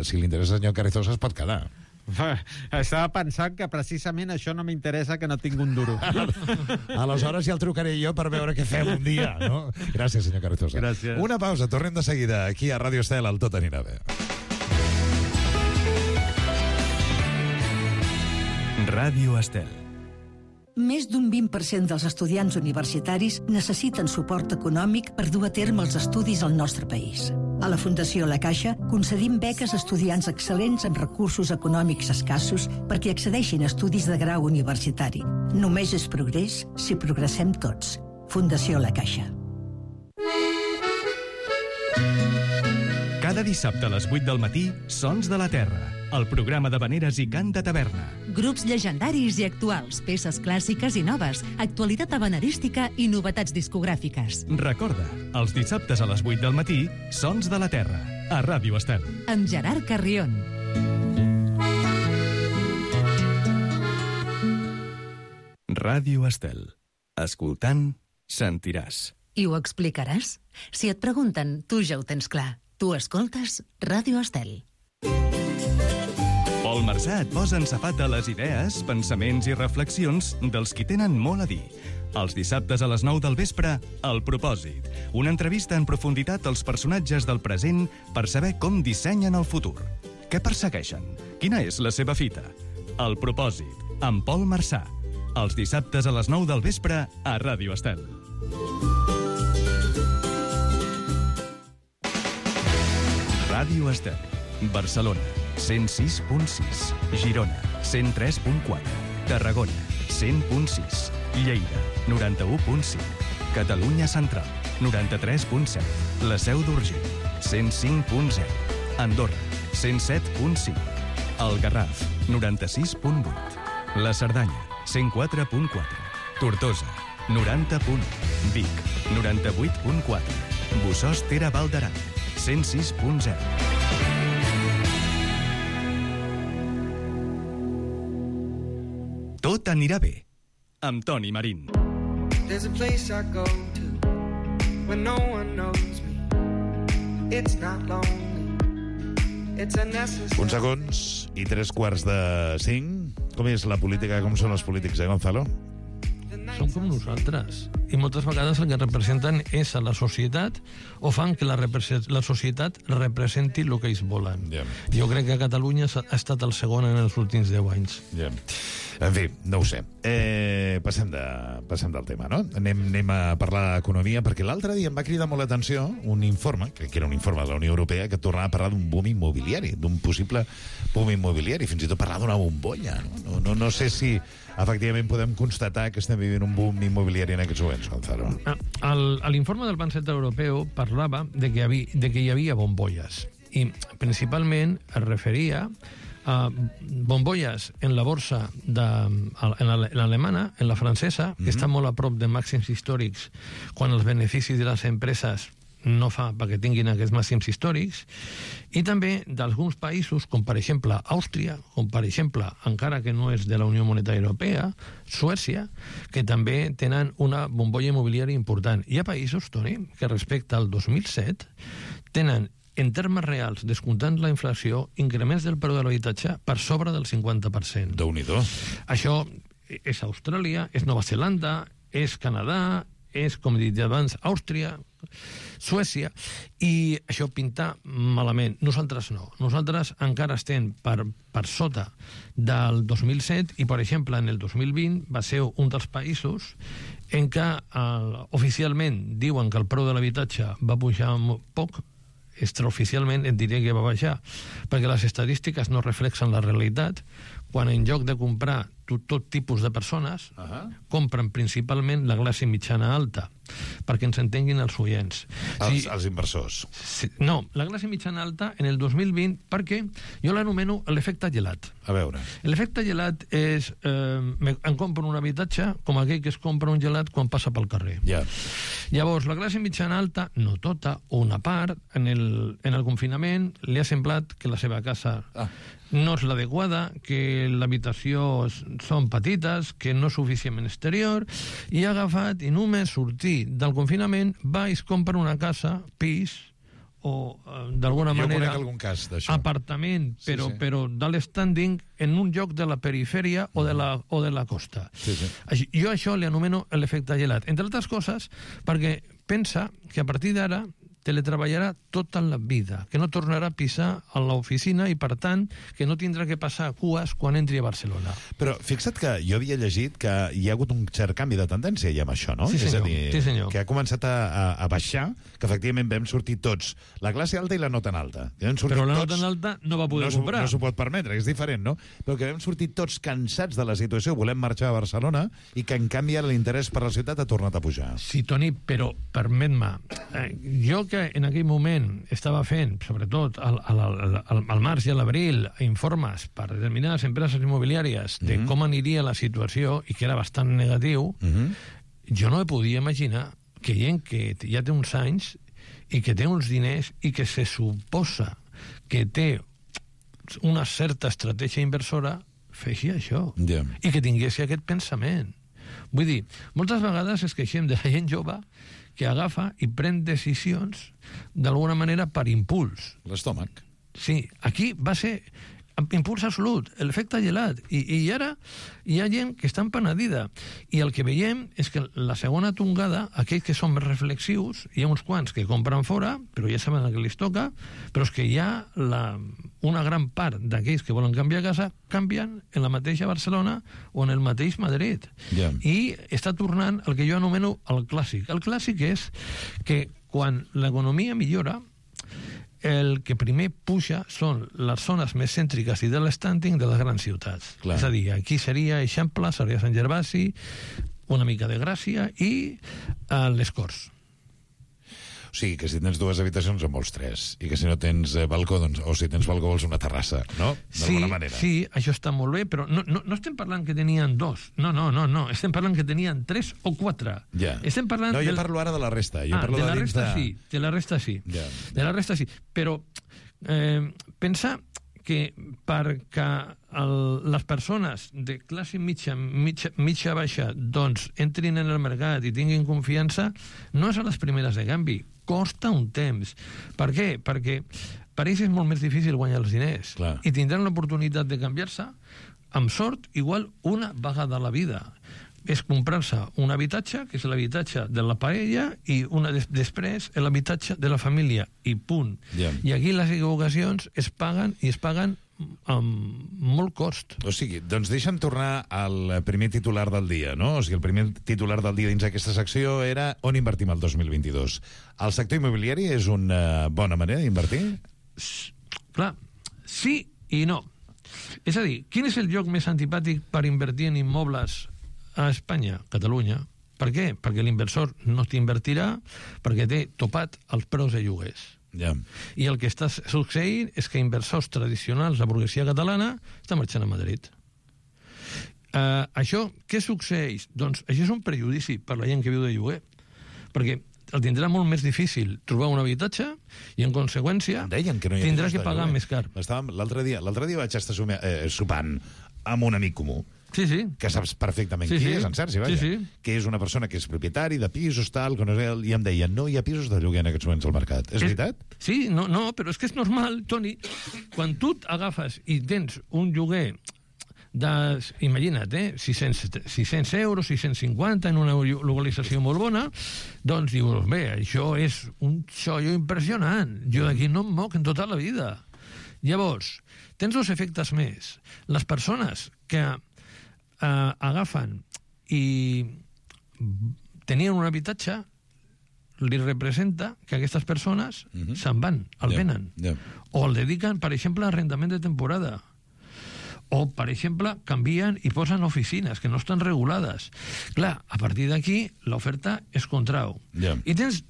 Si li interessa, senyor Carrizosa, es pot quedar. Estava pensant que precisament això no m'interessa, que no tinc un duro. Aleshores ja el trucaré jo per veure què fem un dia, no? Gràcies, senyor Carrizosa. Gràcies. Una pausa, tornem de seguida aquí a Radio Estel, al Tot anirà bé. Ràdio Estel. Més d'un 20% dels estudiants universitaris necessiten suport econòmic per dur a terme els estudis al nostre país. A la Fundació La Caixa concedim beques a estudiants excel·lents amb recursos econòmics escassos perquè accedeixin a estudis de grau universitari. Només és progrés si progressem tots. Fundació La Caixa. Cada dissabte a les 8 del matí, Sons de la Terra, el programa de veneres i cant de taverna. Grups llegendaris i actuals, peces clàssiques i noves, actualitat habanerística i novetats discogràfiques. Recorda, els dissabtes a les 8 del matí, Sons de la Terra, a Ràdio Estel. Amb Gerard Carrion. Ràdio Estel. Escoltant, sentiràs. I ho explicaràs? Si et pregunten, tu ja ho tens clar. Tu escoltes Ràdio Estel. Pol Marsà et posa en safat a les idees, pensaments i reflexions dels qui tenen molt a dir. Els dissabtes a les 9 del vespre, El Propòsit. Una entrevista en profunditat als personatges del present per saber com dissenyen el futur. Què persegueixen? Quina és la seva fita? El Propòsit, amb Pol Marsà. Els dissabtes a les 9 del vespre a Ràdio Estel. Ràdio Estel. Barcelona, 106.6. Girona, 103.4. Tarragona, 100.6. Lleida, 91.5. Catalunya Central, 93.7. La Seu d'Urgell, 105.0. Andorra, 107.5. El Garraf, 96.8. La Cerdanya, 104.4. Tortosa, 90.1. Vic, 98.4. Bossòst Ter Val d'Aran, 106.0. Tot t'anirà bé. Amb Toni Marín. There's a place I go to when no one knows me. It's not lonely. It's a necessary. Uns segons i 3:45. Com és la política? Com són els polítics, Gonzalo? Són com nosaltres. I moltes vegades el que representen és a la societat o fan que la societat representi el que ells volen. Yeah. Jo crec que a Catalunya ha estat el segon en els últims 10 anys. Yeah. En fi, no ho sé. Passem del tema, no? Anem a parlar d'economia, perquè l'altre dia em va cridar molt l'atenció un informe, crec que era un informe de la Unió Europea, que tornava a parlar d'un boom immobiliari, d'un possible boom immobiliari, fins i tot parlar d'una bombolla. No sé si efectivament podem constatar que estem vivint un boom immobiliari en aquests moments, Gonzalo. L'informe del Banc Central Europeu parlava de que hi havia bombolles, i principalment es referia a bombolles en la borsa en l'alemana, en la francesa, que està molt a prop de màxims històrics, quan els beneficis de les empreses no fa perquè tinguin aquests màxims històrics, i també d'alguns països, com per exemple Àustria, com per exemple, encara que no és de la Unió Monetària Europea, Suècia, que també tenen una bombolla immobiliària important. Hi ha països, Toni, que respecte al 2007 tenen, en termes reals, descomptant la inflació, increments del preu de l'habitatge per sobre del 50%. Déu-n'hi-do. Això és Austràlia, és Nova Zelanda, és Canadà, és, com he dit abans, Àustria, Suècia, i això pinta malament. Nosaltres no. Nosaltres encara estem per sota del 2007 i, per exemple, en el 2020 va ser un dels països en què oficialment diuen que el preu de l'habitatge va pujar poc, extraoficialment et diria que va baixar, perquè les estadístiques no reflexen la realitat, quan en lloc de comprar tot tipus de persones, compren principalment la classe mitjana alta, perquè ens entenguin els oients. Els inversors. No, la classe mitjana alta en el 2020, perquè jo l'anomeno l'efecte gelat. A veure. L'efecte gelat és em compro un habitatge com aquell que es compra un gelat quan passa pel carrer. Ja. Llavors, la classe mitjana alta, no tota, o una part, en el confinament li ha semblat que la seva casa no és l'adequada, que l'habitació són petites, que no és suficientment exterior, i ha agafat i només sortir del confinament va i es compra una casa, pis, o d'alguna manera algun cas d'això. Apartament, però d'alt standing en un lloc de la perifèria o de la costa. Jo això li anomeno l'efecte gelat, entre altres coses perquè pensa que a partir d'ara teletreballarà tota la vida, que no tornarà a pisar a l'oficina i, per tant, que no tindrà que passar cues quan entri a Barcelona. Però fixa't que jo havia llegit que hi ha hagut un cert canvi de tendència ja amb això, no? Sí, senyor. És a dir, que ha començat a baixar, que efectivament vam sortir tots, la classe alta i la no tan alta. Però la no tan alta no va poder comprar. No s'ho pot permetre, és diferent, no? Però que vam sortir tots cansats de la situació, volem marxar a Barcelona, i que en canvi ara l'interès per la ciutat ha tornat a pujar. Sí, Toni, però permet-me, jo que en aquell moment estava fent, sobretot al març i a l'abril, informes per determinades empreses immobiliàries de com aniria la situació i que era bastant negatiu, jo no podia imaginar que gent que ja té uns anys i que té uns diners i que se suposa que té una certa estratègia inversora feixi això i que tingués aquest pensament. Vull dir, moltes vegades es queixem de la gent jove que agafa i pren decisions d'alguna manera per impuls. L'estómac. Sí, aquí va ser impuls absolut, l'efecte gelat. I ara hi ha gent que està empenedida. I el que veiem és que la segona tongada, aquells que són més reflexius, hi ha uns quants que compren fora, però ja saben el que els toca, però és que hi ha una gran part d'aquells que volen canviar casa, canvien en la mateixa Barcelona o en el mateix Madrid. I està tornant el que jo anomeno el clàssic. El clàssic és que quan l'economia millora, el que primer puja són les zones més cèntriques i de l'estanding de les grans ciutats. Clar. És a dir, aquí seria Eixample, seria Sant Gervasi, una mica de Gràcia i les Corts. O sigui, que si tens dues habitacions en vols tres, i que si no tens balcó, doncs, o si tens balcó vols una terrassa, no? D'alguna manera. Sí, això està molt bé, però no estem parlant que tenien dos. No. Estem parlant que tenien 3 o 4. Ja. Estem parlant... No, jo parlo ara de la resta. Jo parlo de la resta sí, de la resta sí. Ja. De la resta sí. Però pensar que perquè les persones de classe mitja baixa doncs entrin en el mercat i tinguin confiança, no és a les primeres de canvi, costa un temps. Per què? Perquè per ells és molt més difícil guanyar els diners. Clar. I tindran l'oportunitat de canviar-se, amb sort, igual una vegada a la vida. És comprar-se un habitatge, que és l'habitatge de la parella, i després l'habitatge de la família, i punt. Yeah. I aquí les equivocacions es paguen, i es paguen amb molt cost. O sigui, doncs deixa'm tornar al primer titular del dia, no? O sigui, el primer titular del dia dins aquesta secció era on invertim el 2022. El sector immobiliari és una bona manera d'invertir? Clar, sí i no. És a dir, quin és el lloc més antipàtic per invertir en immobles a Espanya? Catalunya. Per què? Perquè l'inversor no t'invertirà perquè té topat els preus de lloguers. Yeah. I el que està succeint és que inversors tradicionals, la burguesia catalana, està marxant a Madrid. Això, què succeeix? Doncs això és un prejudici per la gent que viu de lloguer. Perquè el tindrà molt més difícil trobar un habitatge i, en conseqüència, tindrà que pagar més car. L'altre dia vaig estar sopant amb un amic comú, que saps perfectament qui és, en Sergi, que és una persona que és propietari de pisos, tal, i em deia, no hi ha pisos de lloguer en aquests moments al mercat. És veritat? Sí, no, però és que és normal, Toni. Quan tu agafes i tens un lloguer imagina't, 600 euros, 650 en una localització molt bona, doncs dius, bé, això és un xollo impressionant. Jo d'aquí no em moc en tota la vida. Llavors, tens dos efectes més. Les persones que agafen i tenien un habitatge li representa que aquestes persones se'n van, el venen. O el dediquen, per exemple, a arrendament de temporada. O, per exemple, canvien i posen oficines que no estan regulades. Clar, a partir d'aquí, l'oferta es contrau. I tens,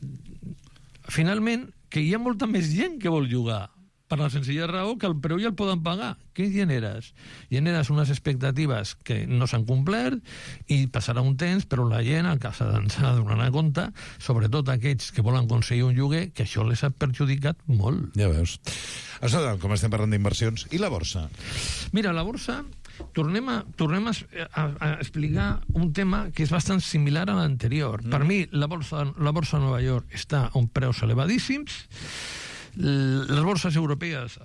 finalment, que hi ha molta més gent que vol llogar, per la senzilla raó que el preu ja el poden pagar. Què generes? Generes unes expectatives que no s'han complert i passarà un temps, però la gent s'ha d'anar a compte, sobretot aquells que volen aconseguir un lloguer, que això les ha perjudicat molt. Ja veus. Això, com estem parlant d'inversions. I la borsa? Mira, la borsa, tornem a explicar un tema que és bastant similar a l'anterior. Per mi, la borsa de Nova York està a uns preus elevadíssims, les borses europees,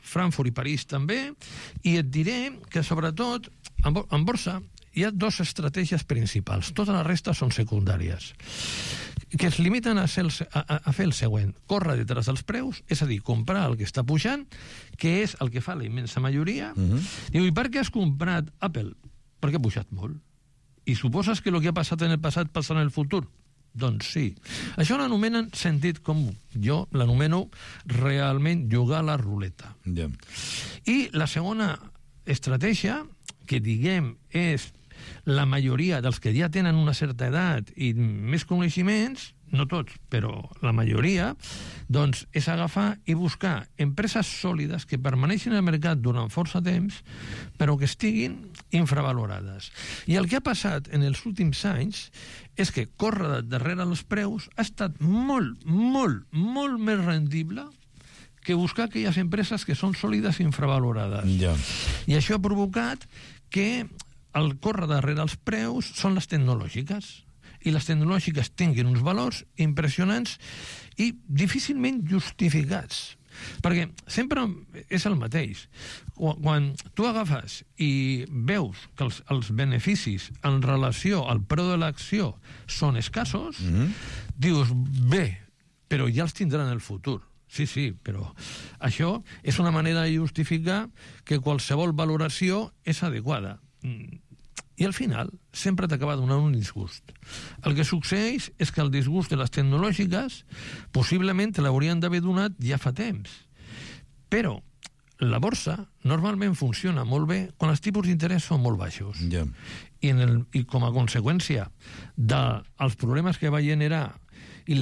Frankfurt i París també, i et diré que sobretot en borsa hi ha dues estratègies principals, tota la resta són secundàries, que es limiten a fer el següent: córrer detrás dels preus, és a dir, comprar el que està pujant, que és el que fa la immensa majoria. Diu, i per què has comprat Apple? Perquè ha pujat molt. I suposes que el que ha passat en el passat passa en el futur? Doncs sí. Això l'anomenen sentit comú. Jo l'anomeno realment jugar a la ruleta. I la segona estratègia, que diguem és la majoria dels que ja tenen una certa edat i més coneixements, no tots, però la majoria, doncs és agafar i buscar empreses sòlides que permaneixin al mercat durant força temps, però que estiguin infravalorades. I el que ha passat en els últims anys és que córrer darrere els preus ha estat molt, molt, molt més rendible que buscar aquelles empreses que són sòlides i infravalorades. I això ha provocat que el córrer darrere els preus són les tecnològiques. I les tecnològiques tinguin uns valors impressionants i difícilment justificats. Perquè sempre és el mateix. Quan tu agafes i veus que els beneficis en relació al preu de l'acció són escassos, dius, bé, però ja els tindran en el futur. Sí, però això és una manera de justificar que qualsevol valoració és adequada. I al final sempre t'acaba donant un disgust. El que succeeix és que el disgust de les tecnològiques possiblement te l'haurien d'haver donat ja fa temps. Però la borsa normalment funciona molt bé quan els tipus d'interès són molt baixos. I com a conseqüència dels problemes que va generar i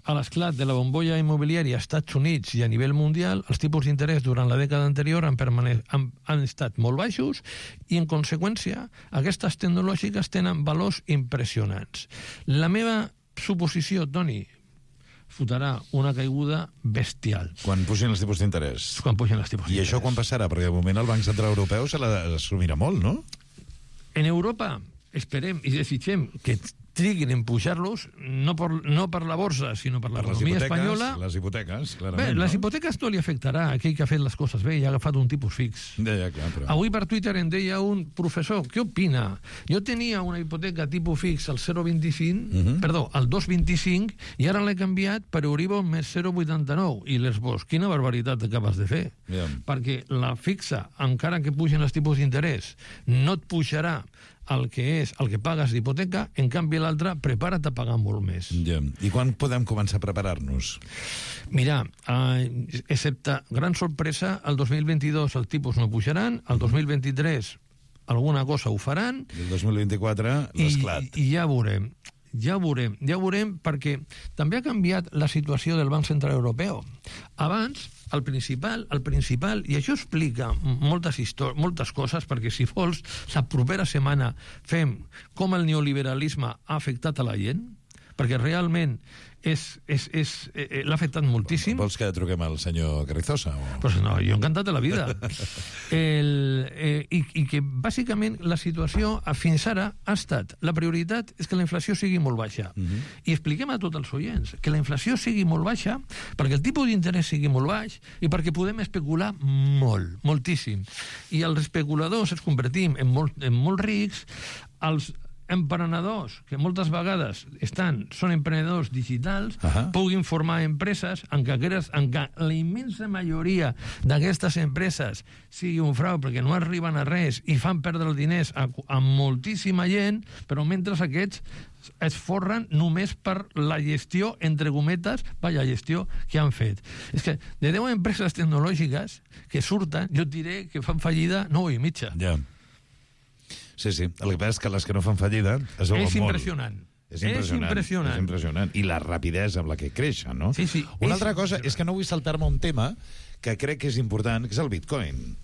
a l'esclat de la bombolla immobiliària als Estats Units i a nivell mundial, els tipus d'interès durant la dècada anterior han estat molt baixos i, en conseqüència, aquestes tecnològiques tenen valors impressionants. La meva suposició, Toni, fotrà una caiguda bestial. Quan pugin els tipus d'interès. Quan pugin els tipus d'interès. I això quan passarà? Perquè de moment el Banc Central Europeu se l'assumirà molt, no? En Europa esperem i desitgem que triguin en pujar-los, no per la borsa, sinó per l'economia espanyola. Les hipoteques, clarament. Bé, les hipoteques no li afectarà a aquell que ha fet les coses bé i ha agafat un tipus fix. Ja, clar, però... Avui per Twitter em deia un professor, què opina? Jo tenia una hipoteca tipus fix al 0,25, perdó, al 2,25, i ara l'he canviat per Euribor més 0,89. I l'esbós, quina barbaritat acabes de fer. Perquè la fixa, encara que pugen els tipus d'interès, no et pujarà el que pagues d'hipoteca, en canvi l'altre, prepara't a pagar molt més. Ja. I quan podem començar a preparar-nos? Mira, excepte gran sorpresa, el 2022 els tipus no pujaran, el 2023 alguna cosa ho faran. I el 2024 l'esclat. I ja veurem. Ja veurem, perquè també ha canviat la situació del Banc Central Europeu. Abans, el principal, i això explica moltes coses, perquè si vols, la propera setmana fem com el neoliberalisme ha afectat a la gent, perquè realment l'ha afectat moltíssim. Vols que truquem al senyor Carrizosa? Pues no, jo encantat de la vida. I que bàsicament la situació fins ara ha estat, la prioritat és que la inflació sigui molt baixa. I expliquem a tots els oients que la inflació sigui molt baixa perquè el tipus d'interès sigui molt baix i perquè podem especular moltíssim. I els especuladors ens convertim en molt rics, els emprenedors, que moltes vegades són emprenedors digitals, puguin formar empreses en què la immensa majoria d'aquestes empreses sigui un frau perquè no arriben a res i fan perdre els diners a moltíssima gent, però mentre aquests es forren només per la gestió, entre cometes, gestió que han fet. És que de 10 empreses tecnològiques que surten, jo et diré que fan fallida 9 i mitja. Ja. Sí. El que passa és que les que no fan fallida es veuen molt. És impressionant. I la rapidesa amb la que creixen, no? Sí. Una altra cosa és que no vull saltar-me un tema que crec que és important, que és el Bitcoin.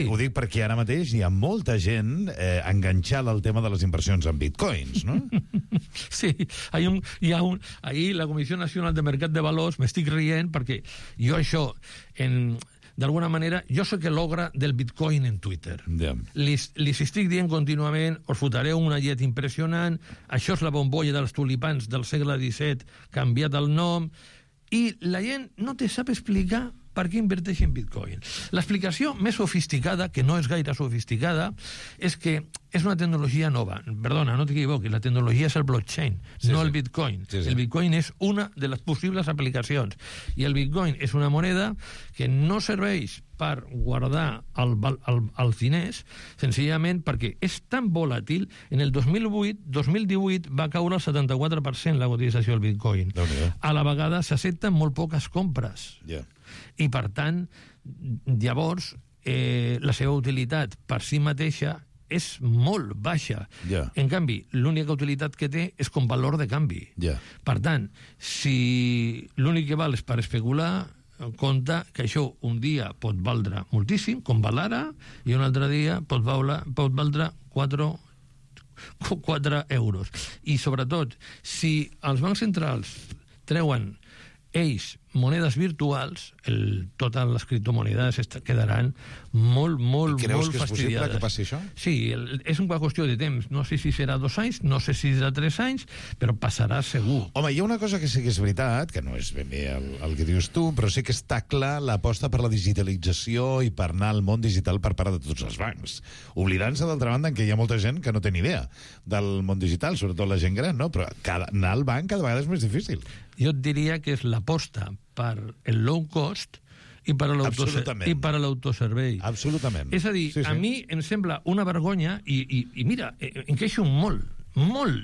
Ho dic perquè ara mateix hi ha molta gent enganxada al tema de les inversions en Bitcoins, no? Sí, ahir la Comissió Nacional de Mercat de Valors, m'estic rient perquè jo això, d'alguna manera, jo sóc l'ogre del Bitcoin en Twitter. Li estic dient contínuament, us fotareu una llet impressionant, això és la bombolla dels tulipans del segle XVII, canviat el nom, i la gent no te sap explicar per què inverteix en Bitcoin. L'explicació més sofisticada, que no és gaire sofisticada, és que és una tecnologia nova. Perdona, no t'equivoquis, la tecnologia és el blockchain, no el Bitcoin. El Bitcoin és una de les possibles aplicacions. I el Bitcoin és una moneda que no serveix per guardar els diners, senzillament perquè és tan volàtil. En el 2018 va caure el 74% la cotització del Bitcoin. A la vegada s'accepten molt poques compres. I, per tant, llavors, la seva utilitat per si mateixa és molt baixa. En canvi, l'única utilitat que té és com valor de canvi. Per tant, si l'únic que val és per especular, compte que això un dia pot valdre moltíssim, com val ara, i un altre dia pot valdre 4 euros. I, sobretot, si els bancs centrals treuen ells monedes virtuals, totes les criptomonedes quedaran molt fastidiades. I creus que és possible que passi això? Sí, és una qüestió de temps. No sé si serà 2 anys, no sé si serà 3 anys, però passarà segur. Home, hi ha una cosa que sí que és veritat, que no és ben bé el que dius tu, però sí que està clar l'aposta per la digitalització i per anar al món digital per part de tots els bancs. Oblidant-se, d'altra banda, que hi ha molta gent que no té ni idea del món digital, sobretot la gent gran, no? Però anar al banc cada vegada és més difícil. Jo et diria que és l'aposta per el low cost i per l'autoservei. Absolutament. És a dir, a mi em sembla una vergonya, i mira, em queixo molt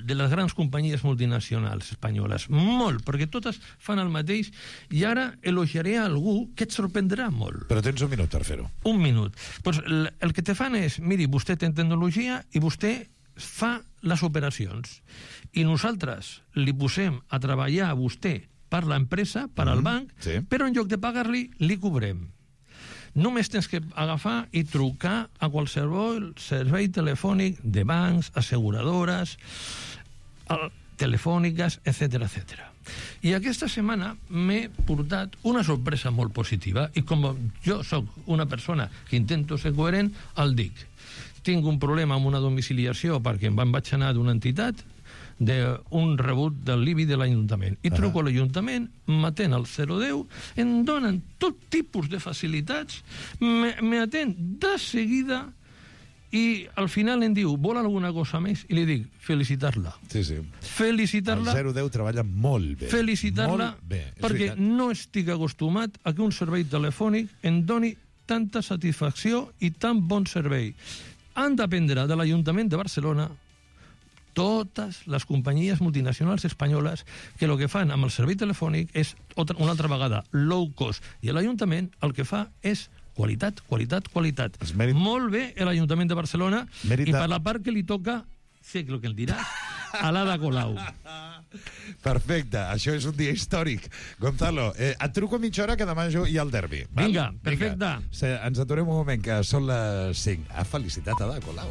de les grans companyies multinacionals espanyoles, molt, perquè totes fan el mateix, i ara elogiaré a algú que et sorprendrà molt. Però tens un minut per fer-ho. Un minut. Pues el que te fan és, miri, vostè té tecnologia i vostè fa les operacions. I nosaltres li posem a treballar a vostè per l'empresa, per al banc, però en lloc de pagar-li, li cobrem. Només tens que agafar i trucar a qualsevol servei telefònic de bancs, asseguradores. telefòniques, etc etc. I aquesta setmana m'he portat una sorpresa molt positiva i com jo sóc una persona que intento ser coherent, el dic. Tinc un problema amb una domiciliació perquè em vaig anar d'una entitat d'un rebut del l'IBI de l'Ajuntament. I truco a l'Ajuntament, m'atén al 010, em donen tot tipus de facilitats, m'atén de seguida i al final em diu, vol alguna cosa més? I li dic, felicitar-la. Sí, sí. Felicitar-la. El 010 treballa molt bé. Felicitar-la, perquè no estic acostumat a que un servei telefònic em doni tanta satisfacció i tan bon servei. Han d'aprendre de l'Ajuntament de Barcelona totes les companyies multinacionals espanyoles que el que fan amb el servei telefònic és una altra vegada low cost, i l'Ajuntament el que fa és qualitat, qualitat, qualitat. Molt bé l'Ajuntament de Barcelona i per la part que li toca, sé el que el diràs, a l'Ada Colau. Perfecte, això és un dia històric. Gonzalo, et truco a mitja hora que demà jo hi ha el derbi. Vinga, perfecte. Ens aturem un moment, que són les 5. Ha felicitat Ada Colau.